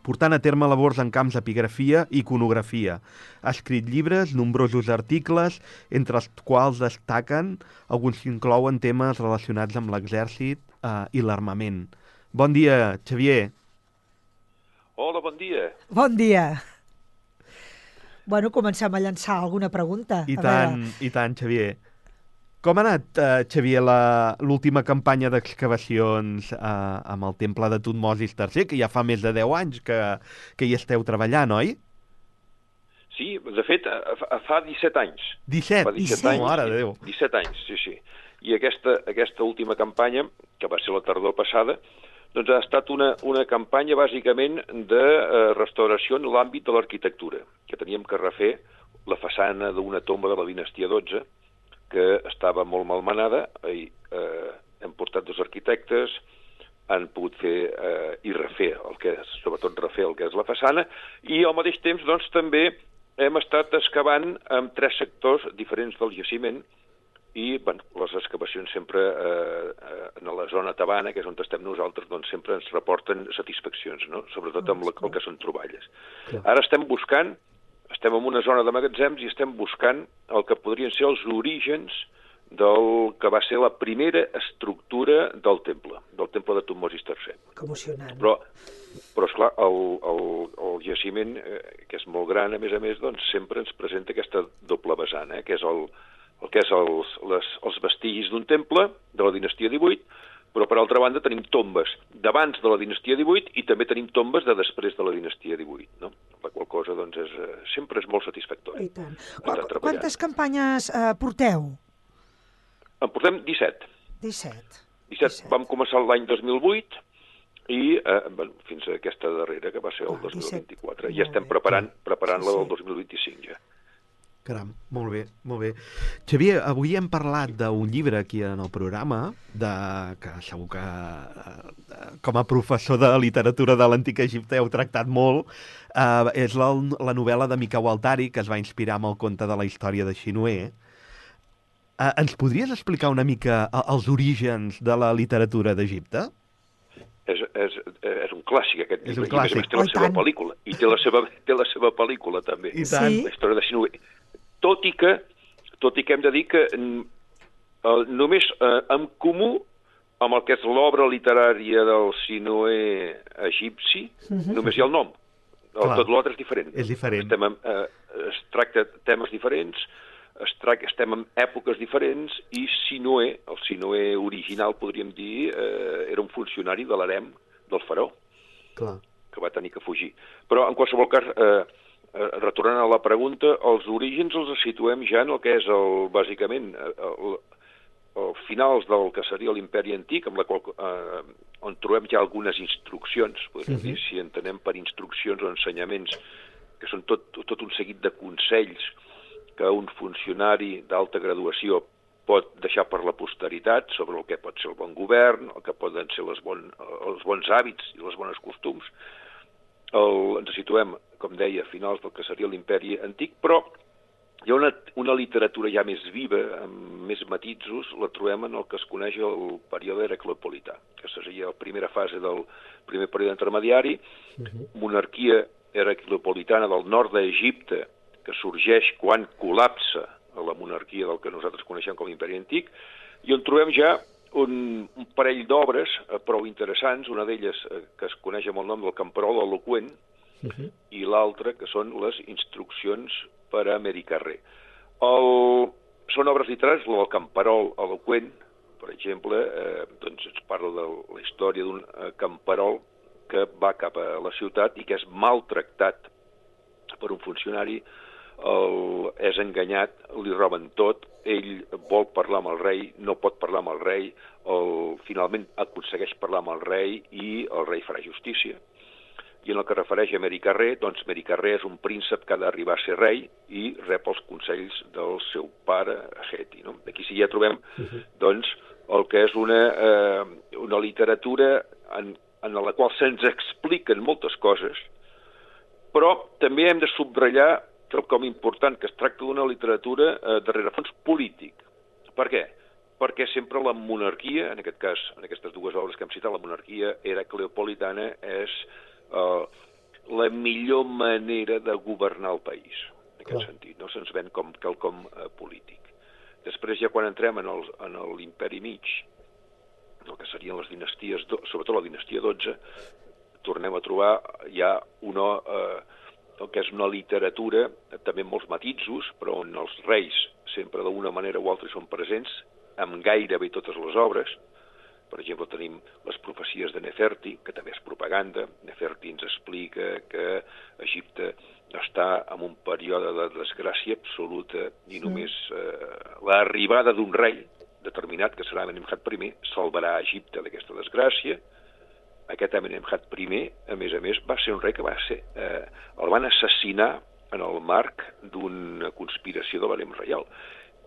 portant a terme labors en camps d'epigrafia i iconografia. Ha escrit llibres, nombrosos articles, entre els quals destaquen alguns que inclouen temes relacionats amb l'exèrcit eh, i l'armament. Bon dia, Xavier. Hola, bon dia. Bon dia. Bueno, comencem a llançar alguna pregunta. I a tant, veure. i tant, Xavier. Com ha anat, eh, Xavier, la- l'última campanya d'excavacions eh, amb el temple de Tutmosis tercer, que ja fa més de deu anys que, que hi esteu treballant, oi? Sí, de fet, eh, fa- fa disset anys. disset? Fa disset disset. anys. Mare de Déu. disset anys, sí, sí. I aquesta, aquesta última campanya, que va ser la tardor passada, doncs ha estat una, una campanya bàsicament de eh, restauració en l'àmbit de l'arquitectura, que teníem que refer la façana d'una tomba de la dinastia dotze, que estava molt malmenada, i eh, hem portat dos arquitectes, han pogut fer eh, i refer el que és, sobretot refer el que és la façana, i al mateix temps doncs també hem estat excavant en tres sectors diferents del jaciment, i bueno, les excavacions sempre eh, eh, en la zona tabana, que és on estem nosaltres, doncs sempre ens reporten satisfaccions, no? Sobretot amb la, el que són troballes. Ara estem buscant, estem en una zona de magatzems i estem buscant el que podrien ser els orígens del que va ser la primera estructura del temple, del temple de Tutmosis tercer. Que emocionant. Però, però esclar, el, el, el jaciment, eh, que és molt gran, a més a més, doncs sempre ens presenta aquesta doble vessant, eh, que és el, el que és els, les, els vestigis d'un temple de la dinastia divuit, però per altra banda tenim tombes d'abans de la dinastia divuit i també tenim tombes de després de la dinastia divuit, no? La qual cosa doncs, és, eh, sempre és molt satisfactori. I tant. Estar Qu- treballant. Quantes campanyes eh, porteu? En portem disset. disset. disset. disset. Vam començar l'any dos mil vuit i eh, bueno, fins a aquesta darrera, que va ser el Clar, dos mil vint-i-quatre. disset. I estem preparant, preparant Sí, la sí. del dos mil vint-i-cinc ja. Caram, molt bé, molt bé. Xavier, avui hem parlat d'un llibre aquí en el programa, de, que segur que eh, com a professor de literatura de l'Antic Egipte heu tractat molt. Eh, és la, la novel·la de Mikau Altari, que es va inspirar amb el conte de la història de Xinoé. Eh, ens podries explicar una mica eh, els orígens de la literatura d'Egipte? És, és, és un clàssic, aquest És un llibre. I, a més a clàssic. més, té la Oh, i seva tant. pel·lícula. I té la seva, té la seva pel·lícula, també. I tant. Sí. La història de Sinué. Tot i que, tot i que hem de dir que mm, el, només eh, en comú amb el que és l'obra literària del Sinué egipci, Mhm. només hi ha el nom. El, Clar. tot l'altre és diferent. És diferent. Estem en, eh, es tracta temes diferents, es tracta, estem en èpoques diferents, i Sinué, el Sinué original, podríem dir, eh, era un funcionari de l'harem del faraó, Clar. que va tenir que fugir. Però, en qualsevol cas, eh, eh, retornant a la pregunta, els orígens els situem ja en el que és, el, bàsicament, el, el finals del que seria l'imperi antic, amb la qual, eh, on trobem ja algunes instruccions, podríem Mhm. dir, si entenem per instruccions o ensenyaments, que són tot, tot un seguit de consells que un funcionari d'alta graduació pot deixar per la posteritat sobre el que pot ser el bon govern, el que poden ser les bon, els bons hàbits i les bones costums. El, ens situem, com deia, a finals del que seria l'imperi antic, però hi ha una, una literatura ja més viva, amb més matisos, la trobem en el que es coneix el període heracleopolità, que seria la primera fase del primer període intermediari, monarquia heracleopolitana del nord d'Egipte, que sorgeix quan col·lapsa la monarquia del que nosaltres coneixem com l'imperi antic, i on trobem ja un, un parell d'obres eh, prou interessants, una d'elles eh, que es coneix amb el nom del Camperol eloqüent, Uh-huh. i l'altra que són les instruccions per a Mericarrer. El... Són obres literàries, el Camperol eloqüent, per exemple, eh, doncs ens parla de la història d'un eh, camperol que va cap a la ciutat i que és maltractat per un funcionari, el, és enganyat, li roben tot, ell vol parlar amb el rei, no pot parlar amb el rei, el, finalment aconsegueix parlar amb el rei i el rei farà justícia. I en el que refereix a Mericarrer, doncs Mericarrer és un príncep que ha d'arribar a ser rei i rep els consells del seu pare, Heti. No? Aquí sí ja trobem uh-huh. doncs, el que és una, eh, una literatura en, en la qual se'ns expliquen moltes coses, però també hem de subratllar quelcom important, que es tracta d'una literatura eh, de rerefons polític. Per què? Perquè sempre la monarquia, en aquest cas, en aquestes dues obres que hem citat, la monarquia heracleopolitana és eh, la millor manera de governar el país, en aquest Clar. sentit, no se'ns ven com quelcom eh, polític. Després ja quan entrem en el, en l'imperi mig, el que serien les dinasties, sobretot la dinastia dotze, tornem a trobar ja una, eh, el que és una literatura, també amb molts matisos, però on els reis sempre d'una manera o altra són presents, amb gairebé totes les obres. Per exemple, tenim les profecies de Neferti, que també és propaganda. Neferti ens explica que Egipte està en un període de desgràcia absoluta i només eh, l'arribada d'un rei determinat, que serà Amenemhat primer, salvarà Egipte d'aquesta desgràcia. Aquest Amenemhat primer, a més a més, va ser un rei que va ser... Eh, el van assassinar en el marc d'una conspiració de l'harem reial.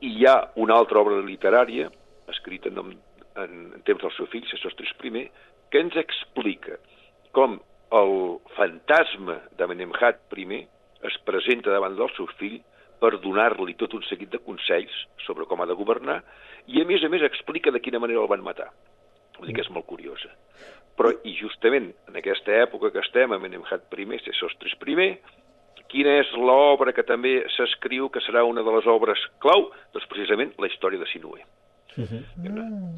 I hi ha una altra obra literària, escrita en, en, en temps del seu fill, Sesostris primer, que ens explica com el fantasma d'Amenemhat primer es presenta davant del seu fill per donar-li tot un seguit de consells sobre com ha de governar i, a més a més, explica de quina manera el van matar. Vull dir que és molt curiosa. Però, i justament en aquesta època que estem, Amenemhat primer, Sesostris primer, quina és l'obra que també s'escriu que serà una de les obres clau? Doncs precisament la història de Sinué. Uh-huh.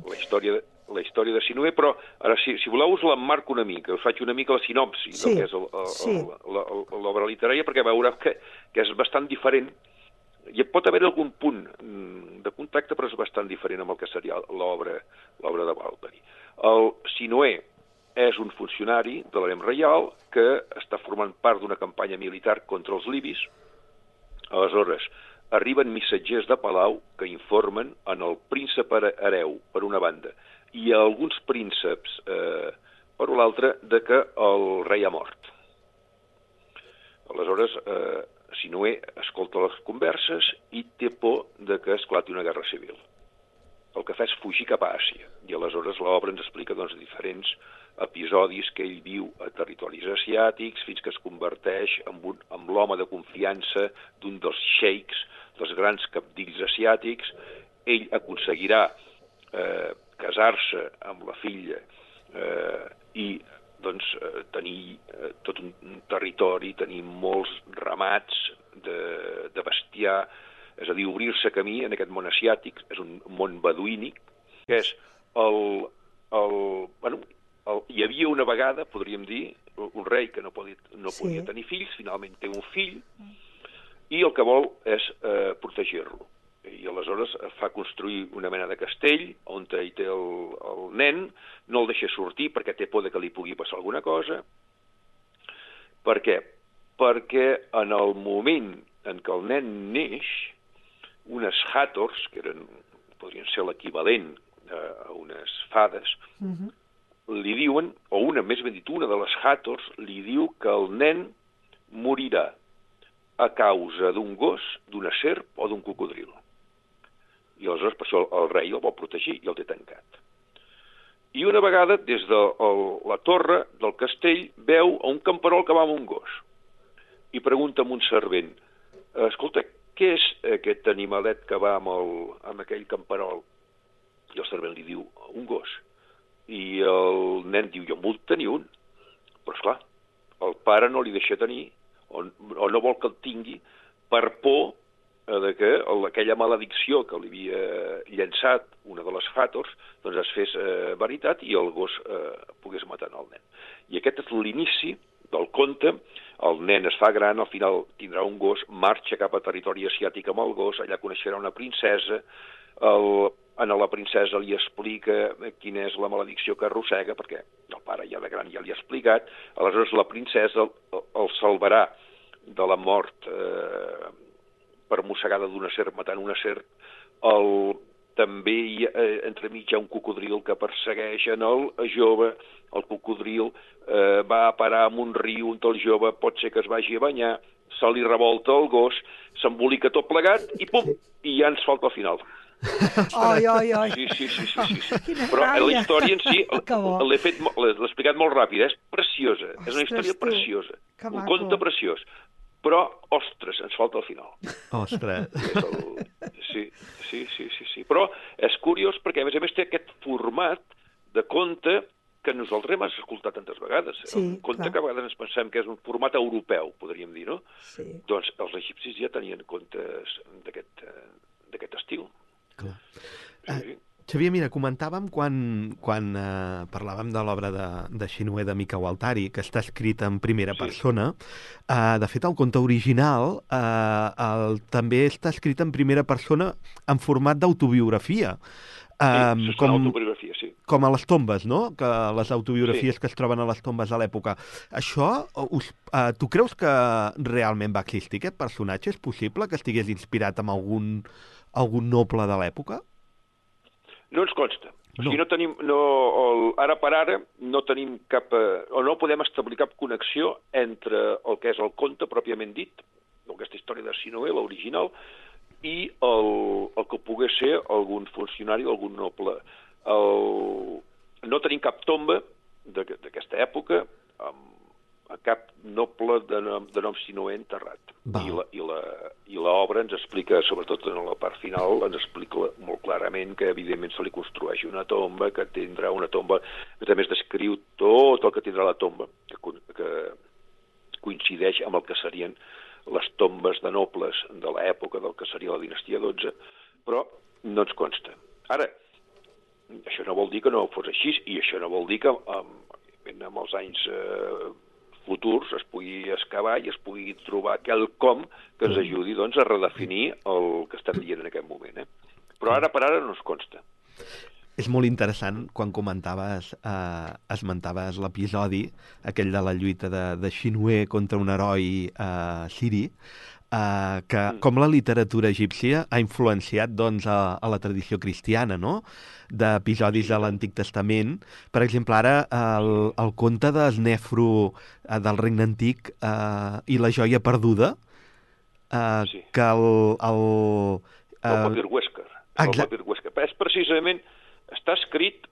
La història de, la història de Sinué, però ara, si, si voleu, us l'emmarco una mica, us faig una mica la sinopsi sí. del que és el, el, sí. l'obra literària, perquè veureu que, que és bastant diferent. Hi pot haver algun punt de contacte, però és bastant diferent amb el que seria l'obra l'obra de Valperi. El Sinué és un funcionari de l'harem reial que està formant part d'una campanya militar contra els libis. Aleshores, arriben missatgers de palau que informen en el príncep hereu, per una banda, i a alguns prínceps, eh, per l'altra, de que el rei ha mort. Aleshores, eh, Sinué escolta les converses i té por de que esclati una guerra civil. El que fa és fugir cap a Àsia, i aleshores l'obra ens explica doncs, diferents episodis que ell viu a territoris asiàtics fins que es converteix en, un, en l'home de confiança d'un dels xeics, dels grans cabdills asiàtics. Ell aconseguirà eh, casar-se amb la filla eh, i doncs, eh, tenir eh, tot un, un territori, tenir molts ramats de, de bestiar, és a dir, obrir-se camí en aquest món asiàtic, és un món beduínic, que és el... el, bueno, el hi havia una vegada, podríem dir, un rei que no podia, no sí. podia tenir fills, finalment té un fill, i el que vol és eh, protegir-lo. I aleshores fa construir una mena de castell on hi té el, el nen, no el deixa sortir perquè té por de que li pugui passar alguna cosa. Per què? Perquè en el moment en què el nen neix, unes hàtors, que eren, podrien ser l'equivalent a unes fades, uh-huh. li diuen, o una, més ben dit, una de les hàtors li diu que el nen morirà a causa d'un gos, d'una serp o d'un cocodril. I aleshores per això el, el rei el vol protegir i el té tancat. I una vegada, des de el, la torre del castell, veu a un camperol que va amb un gos. I pregunta a un servent, escolta, què és aquest animalet que va amb, el, amb aquell camperol? I el servent li diu, un gos. I el nen diu, jo en vull tenir un. Però esclar, el pare no li deixa tenir, o, o no vol que el tingui, per por de que aquella maledicció que li havia llançat una de les hàtors doncs es fes eh, veritat i el gos eh, pogués matar el nen. I aquest és l'inici del conte. El nen es fa gran, al final tindrà un gos, marxa cap a territori asiàtic amb el gos, allà coneixerà una princesa, el, a la princesa li explica quina és la maledicció que arrossega, perquè el pare ja de gran ja li ha explicat, aleshores la princesa el, el salvarà de la mort eh, per mossegada d'una serp matant una serp. El, també hi ha, eh, entremig hi ha un cocodril que persegueix en el jove. El cocodril eh, va a parar en un riu on el jove pot ser que es vagi a banyar, se li revolta el gos, s'embolica tot plegat i pum, i ja ens falta el final. Oi, oi, oi. Sí, sí, sí, sí, sí, sí. Però la història en si l'he explicat molt ràpid, és preciosa, és una història preciosa, un conte preciós. però, ostres, ens falta el final. Ostres. És el... Sí, sí, sí, sí, sí. Però és curiós perquè, a més a més, té aquest format de conte que nosaltres hem escoltat tantes vegades. Sí, un conte clar. que a vegades ens pensem que és un format europeu, podríem dir, no? Sí. Doncs els egipcis ja tenien contes d'aquest eh, d'aquest estil. Clar. Sí, sí. Xavier, mira, comentàvem quan, quan eh, parlàvem de l'obra de, de Xinue de Mica Gualtari, que està escrita en primera Sí. persona. Eh, de fet, el conte original eh, el, també està escrit en primera persona en format d'autobiografia. Sí, Um, és una com, autobiografia, sí. com a les tombes, no? Que les autobiografies Sí. que es troben a les tombes de l'època. Això, us, uh, tu creus que realment va existir aquest personatge? És possible que estigués inspirat en algun, algun noble de l'època? No ens consta. O sigui, No. no tenim, no, el, ara per ara no tenim cap, eh, o no podem establir cap connexió entre el que és el conte pròpiament dit, aquesta història de Sinué, l'original, i el, el que pogués ser algun funcionari o algun noble. El, no tenim cap tomba d'aquesta època amb, amb cap noble de nom, de nom Sinué enterrat. Val. I la, i la, i l'obra ens explica, sobretot en la part final, ens explica molt clarament que evidentment se li construeix una tomba, que tindrà una tomba, que també es descriu tot el que tindrà la tomba, que, que coincideix amb el que serien les tombes de nobles de l'època del que seria la dinastia dotze, però no ens consta. Ara, això no vol dir que no fos així, i això no vol dir que amb, amb els anys eh, futurs es pugui excavar i es pugui trobar quelcom que ens ajudi doncs, a redefinir el que estem dient en aquest moment. Eh? Però ara per ara no ens consta. És molt interessant quan comentaves, eh, esmentaves l'episodi, aquell de la lluita de, de Xinue contra un heroi eh, siri, eh, que Mm. com la literatura egípcia ha influenciat doncs, a, a la tradició cristiana, no? D'episodis Sí, de l'Antic Testament. Per exemple, ara el, el conte d'Esnefro eh, del Regne Antic eh, i la joia perduda, eh, Sí. que el... el El eh, papir Huescar. El exacte. papir Huescar. És precisament, està escrit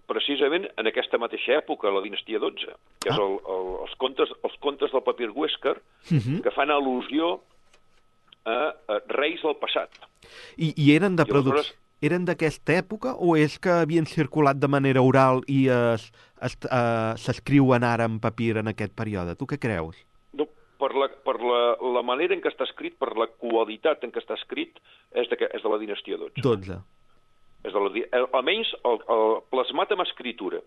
precisament en aquesta mateixa època, la dinastia dotze, que és Ah. el, el, els, contes, els contes del papir Huescar, Mhm. que fan al·lusió a, a reis del passat. I, i eren de I aleshores- producció... Eren d'aquesta època o és que havien circulat de manera oral i es- es- eh, s'escriuen ara en papir en aquest període? Tu què creus? No, per la, per la, la manera en què està escrit, per la qualitat en què està escrit, és de, és de la dinastia dotze. dotze. És de la, di- el- almenys el, el plasmat amb escritura.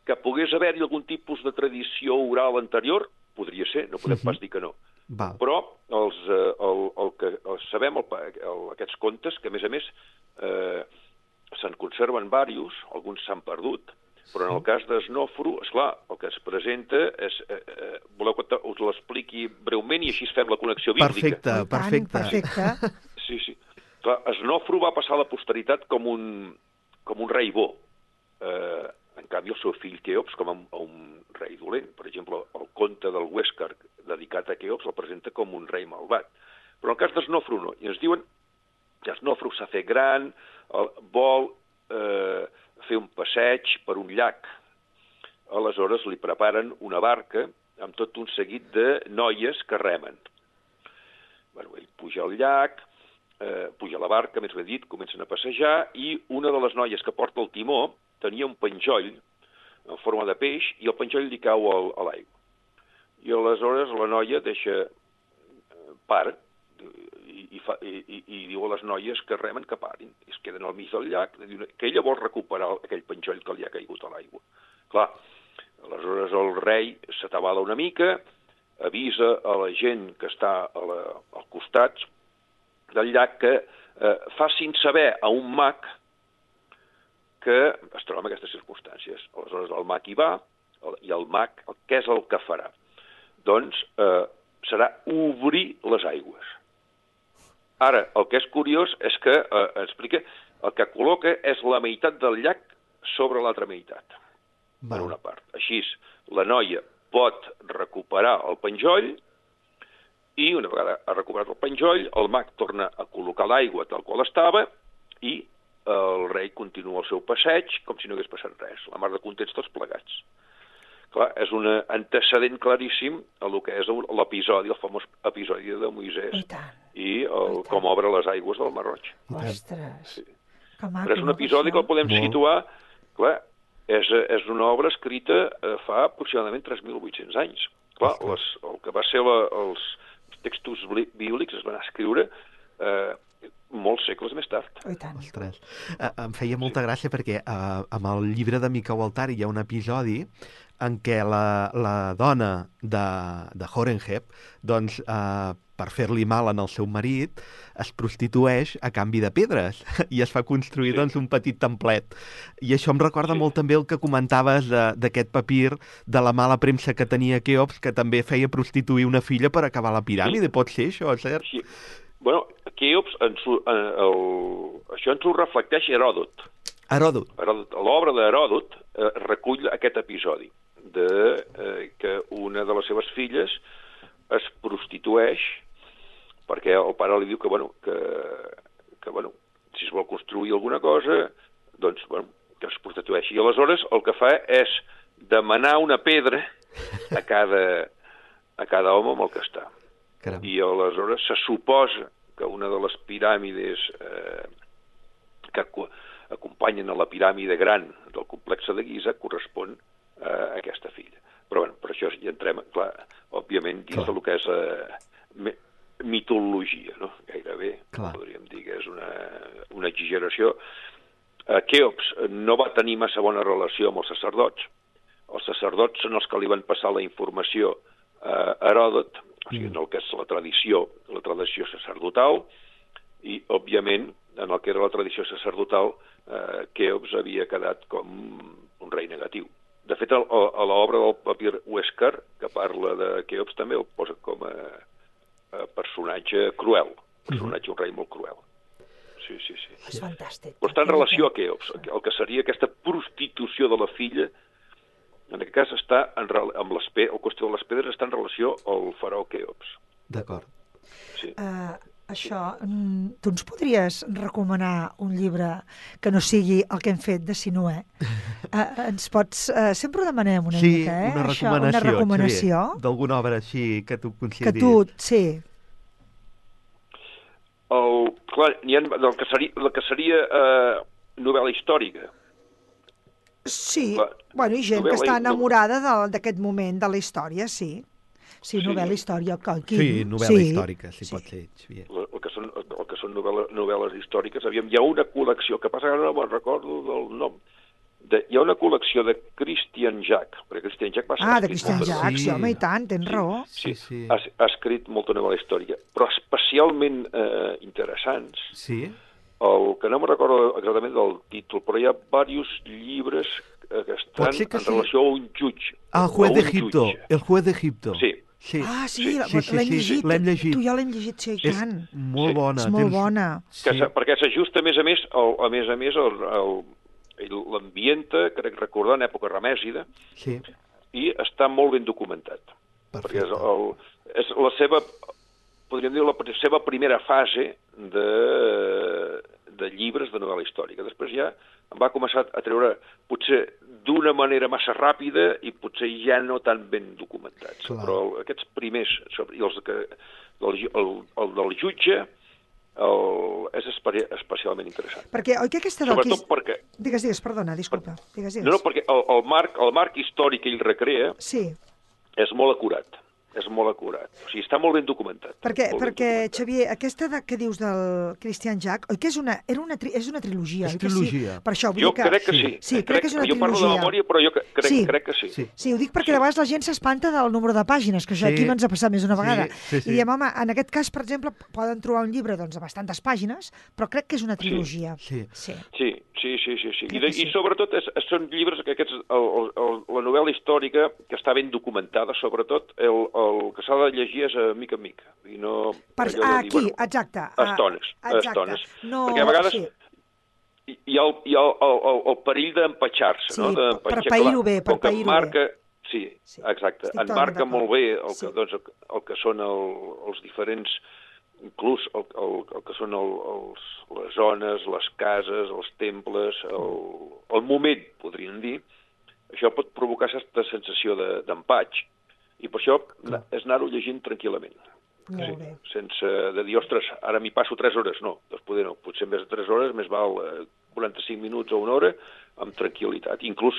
Que pogués haver-hi algun tipus de tradició oral anterior, podria ser, no podem Mhm. pas dir que no. Val. Però els, eh, el, el que el, sabem, el, el, aquests contes, que a més a més eh, se'n conserven diversos, alguns s'han perdut, però en el cas d'Esnofro, esclar, el que es presenta és... Eh, eh, voleu que te- us l'expliqui breument i així fem la connexió bíblica? Perfecte, I tant, perfecte. perfecte. Sí, sí. Clar, Esnofro va passar a la posteritat com un, com un rei bo. Eh, en canvi, el seu fill Keops com un, un rei dolent. Per exemple, el conte del Huescar dedicat a Keops el presenta com un rei malvat. Però en el cas d'Esnofro no. I ens diuen que Esnofro s'ha fet gran, el, vol eh, fer un passeig per un llac. Aleshores li preparen una barca amb tot un seguit de noies que remen. Bueno, ell puja al llac, eh, puja a la barca, més ben dit, comencen a passejar, i una de les noies que porta el timó tenia un penjoll en forma de peix i el penjoll li cau al, a l'aigua. I aleshores la noia deixa eh, para i, i, fa, i, i, i diu a les noies que remen que parin. I es queden al mig del llac, que ella vol recuperar aquell penjoll que li ha caigut a l'aigua. Clar, aleshores el rei s'atabala una mica, avisa a la gent que està a la, al costat del llac que eh, facin saber a un mag que es troba en aquestes circumstàncies. Aleshores el mag hi va, el, i el mag, el, què és el que farà? Doncs eh, serà obrir les aigües. Ara, el que és curiós és que, eh, explica, el que col·loca és la meitat del llac sobre l'altra meitat, per Val. una part. Així, la noia pot recuperar el penjoll i, una vegada ha recuperat el penjoll, el mag torna a col·locar l'aigua tal qual estava i el rei continua el seu passeig com si no hagués passat res. La mar de contents tots plegats. clar, és un antecedent claríssim a lo que és l'episodi, el famós episodi de Moisès I, tant. i el, com obre les aigües del Mar Roig. Ostres, Sí. que maco, Però és un no, episodi que el podem Molt. situar, clar, és, és una obra escrita eh, fa aproximadament tres mil vuit-cents anys. Clar, les, el que va ser la, els textos bíblics es van escriure eh, molts segles més tard. I tant. Ostres. Uh, em feia molta gràcia perquè uh, amb el llibre de Mica Waltari hi ha un episodi en què la, la dona de, de Horemheb, doncs, uh, per fer-li mal en el seu marit, es prostitueix a canvi de pedres i es fa construir, Sí. doncs, un petit templet. I això em recorda Sí. molt també el que comentaves de- d'aquest papir, de la mala premsa que tenia Keops, que també feia prostituir una filla per acabar la piràmide. Pot ser això, cert? Sí. Bueno, Keops, ens, ho- eh, el, això ens ho reflecteix Heròdot. Heròdot. Heròdot l'obra d'Heròdot eh, recull aquest episodi de eh, que una de les seves filles es prostitueix perquè el pare li diu que, bueno, que, que bueno, si es vol construir alguna cosa, doncs, bueno, que es prostitueixi. I aleshores el que fa és demanar una pedra a cada, a cada home amb el que està. Caram. I aleshores se suposa que una de les piràmides eh, que acu- acompanyen a la piràmide gran del complex de Giza correspon a aquesta filla. Però bueno, per això ja entrem, clar, òbviament, dins Clar. del que és eh, mitologia, no? Gairebé, Clar. podríem dir que és una, una exageració. Eh, Keops no va tenir massa bona relació amb els sacerdots. Els sacerdots són els que li van passar la informació a Heròdot, o sigui, en el que és la tradició, la tradició sacerdotal, i, òbviament, en el que era la tradició sacerdotal, eh, Keops havia quedat com un rei negatiu. De fet, a, a l'obra del papir Huéscar, que parla de Keops, també el posa com a, a personatge cruel, personatge, un rei molt cruel. Sí, sí, sí. És fantàstic. Però està en relació a Keops, el que seria aquesta prostitució de la filla, en aquest cas està en, rel- amb les pe- el qüestió de les pedres està en relació al faraó Keops. D'acord. Sí. Uh, això, mm, tu ens podries recomanar un llibre que no sigui el que hem fet de Sinué? Uh, ens pots... Uh, sempre ho demanem una Sí, mica, eh? una Això, recomanació, una recomanació Xavier, d'alguna obra així que tu que consideris. tu... Sí, El, clar, n'hi ha del que seria, del que seria eh, novel·la històrica. sí. Clar, Bueno, i gent que novel·la- està enamorada de- d'aquest moment de la història, sí. Sí, Sí. novel·la històrica. Aquí. Sí, novel·la històrica, si sí. pot ser, Xavier. El, el que són, el que són novel·la, novel·les històriques. Aviam, hi ha una col·lecció, que passa que ara no me'n recordo del nom, de, hi ha una col·lecció de Christian Jack, perquè Christian Jack va ser... Ah, de escrit Christian molta- Jack, sí, sí. home, i tant, tens raó. Sí, sí. Ha, ha escrit molta novel·la històrica, però especialment eh, interessants. Sí? El que no me'n recordo exactament del títol, però hi ha diversos llibres eh, que estan Pot ser que en sí. relació a un jutge. Ah, el a juez un d'Egipto. jutge. El juez d'Egipto. Sí. Sí. Ah, sí, Sí, la- sí, sí, l'hem sí, llegit. l'hem llegit. Tu ja l'hem llegit, sí, i És tant. molt Sí. bona. És molt tens- bona. Que, Sí. sí. Perquè s'ajusta, a més a més, el, a més a més, el, el, l'ambienta, crec recordar, en època ramèsida, Sí, i està molt ben documentat. Perquè és, perfecte. el, és la seva, podríem dir, la seva primera fase de, de llibres de novel·la històrica. Després ja em va començar a treure, potser d'una manera massa ràpida i potser ja no tan ben documentats. Clar. Però aquests primers, sobre- i els que, el, el, el del jutge, el, és espe especialment interessant. Perquè, oi que aquesta del... Sobretot Quis- perquè, Digues, digues, perdona, disculpa. Digues, digues. no, no, perquè el, el, marc, el marc històric que ell recrea Sí, és molt acurat. És molt acurat. O sigui, està molt ben documentat. perquè, molt ben perquè documentat. Xavier, aquesta de, que dius del Christian Jack, oi que és una, era una, tri, és una trilogia? És oi que trilogia. Sí? Per això, vull Jo dir que... crec que sí. Sí, crec que és una jo parlo de trilogia. memòria, però jo crec, Sí. crec que sí. Sí. Sí, ho dic perquè de vegades la gent s'espanta del número de pàgines, que això Sí. aquí ens ha passat més d'una Sí, vegada. sí, sí. I diem, home, en aquest cas, per exemple, poden trobar un llibre doncs, de bastantes pàgines, però crec que és una trilogia. Sí. Sí. Sí, sí, sí, sí. sí. I, Crec de, que sí. I sobretot és, són llibres que aquests, el, el, el, la novel·la històrica que està ben documentada, sobretot el, el que s'ha de llegir és a mica en mica. I no, Per, allò de ah, dir, aquí, bueno, exacte. a estones, a exacte. estones. No, Perquè a vegades sí. hi hi ha el, hi ha el, el, el perill d'empatxar-se, Sí, no? per pair-ho bé, per Com que pair-ho marca, sí, Sí, exacte, estic en totalment marca d'acord. molt bé el que, Sí. doncs, el, el que són el, els diferents, inclús el, el, el que són el, els, les zones, les cases, els temples, el, el moment, podríem dir, això pot provocar certa sensació de- d'empatx. I per això Clar. és anar-ho llegint tranquil·lament. Molt bé. Sense de dir, ostres, ara m'hi passo tres hores. No, doncs poder no. Potser més de tres hores, més val eh, quaranta-cinc minuts o una hora, amb tranquil·litat. Inclús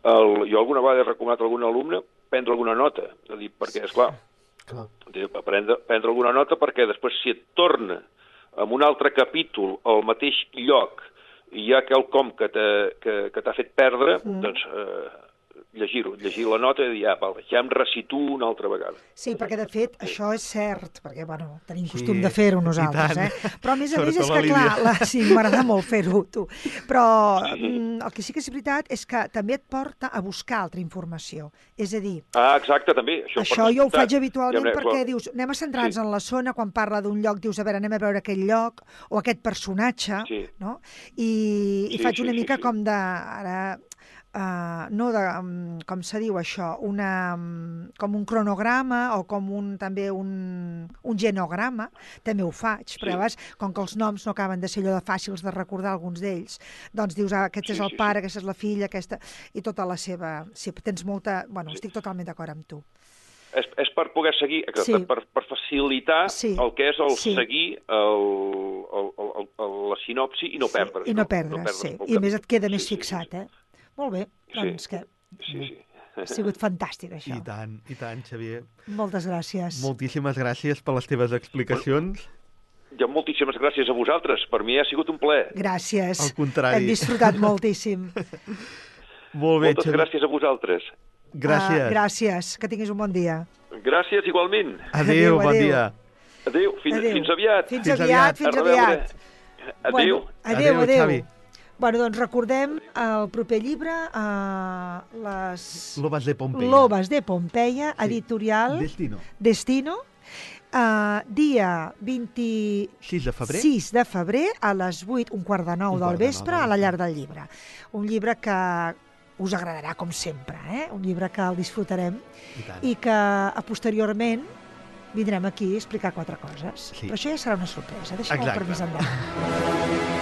el, jo alguna vegada he recomanat a algun alumne prendre alguna nota. És a dir, perquè, esclar, Clar. prendre, prendre alguna nota perquè després si et torna en un altre capítol al mateix lloc i hi ha quelcom que t'ha que, que t'ha fet perdre, mm. doncs eh, llegir-ho, llegir la nota i dir, ah, val, ja em resituo una altra vegada. Sí, perquè de fet això és cert, perquè bueno, tenim Sí, costum de fer-ho i nosaltres, tant. eh? Però a més a més Sobretot és la que, clar, Lídia. la, sí, m'agrada molt fer-ho, tu. Però mm, el que sí que és veritat és que també et porta a buscar altra informació. És a dir, Ah, exacte, també. Això, això per jo ho descomptat. faig habitualment Ja, perquè clar. dius, anem a centrar-nos Sí. en la zona, quan parla d'un lloc dius, a veure, anem a veure aquell lloc o aquest personatge, Sí. no? I, i Sí, faig sí, una sí, mica sí. com de... Ara, Uh, no de, um, com se diu això, una, um, com un cronograma o com un, també un, un genograma, també ho faig, Sí. però a vegades, com que els noms no acaben de ser allò de fàcils de recordar alguns d'ells, doncs dius, ah, aquest Sí, és el sí, pare, sí. aquesta és la filla, aquesta... i tota la seva... Sí, tens molta... Bueno, Sí. estic totalment d'acord amb tu. És, és per poder seguir, que- Sí. per, per facilitar Sí. el que és el Sí. seguir el, el, el, el, la sinopsi i no perdre's. I no perdre, sí. pel I a més camí. et queda més Sí, sí, fixat, sí, eh? Molt bé, doncs Sí. que Sí, sí. ha sigut fantàstic, això. I tant, i tant, Xavier. Moltes gràcies. Moltíssimes gràcies per les teves explicacions. Ja moltíssimes gràcies a vosaltres. Per mi ha sigut un plaer. Gràcies. Al contrari. Hem disfrutat moltíssim. Molt bé, Moltes Xavier. gràcies a vosaltres. Gràcies. Uh, gràcies. Que tinguis un bon dia. Gràcies igualment. Adéu, Adéu, bon adéu. dia. Adéu, fins, Adéu. fins aviat. Fins, Fins aviat, aviat. fins A reveure. aviat. Adéu. Bueno, adéu, Adéu, adéu. Xavi. Bueno, doncs recordem el proper llibre, uh, les Lobas de Pompeia. Lobas de Pompeia, Sí. editorial Destino. Destino, uh, dia vint-i-sis sis de febrer. de febrer a les vuit, un quart de nou Un del quart de nou vespre, del a la vespre. llar del llibre. Un llibre que us agradarà, com sempre, eh? Un llibre que el disfrutarem I tant. i que a posteriorment vindrem aquí a explicar quatre coses. Sí. Però això ja serà una sorpresa. Deixem-ho per Exacte. més endavant.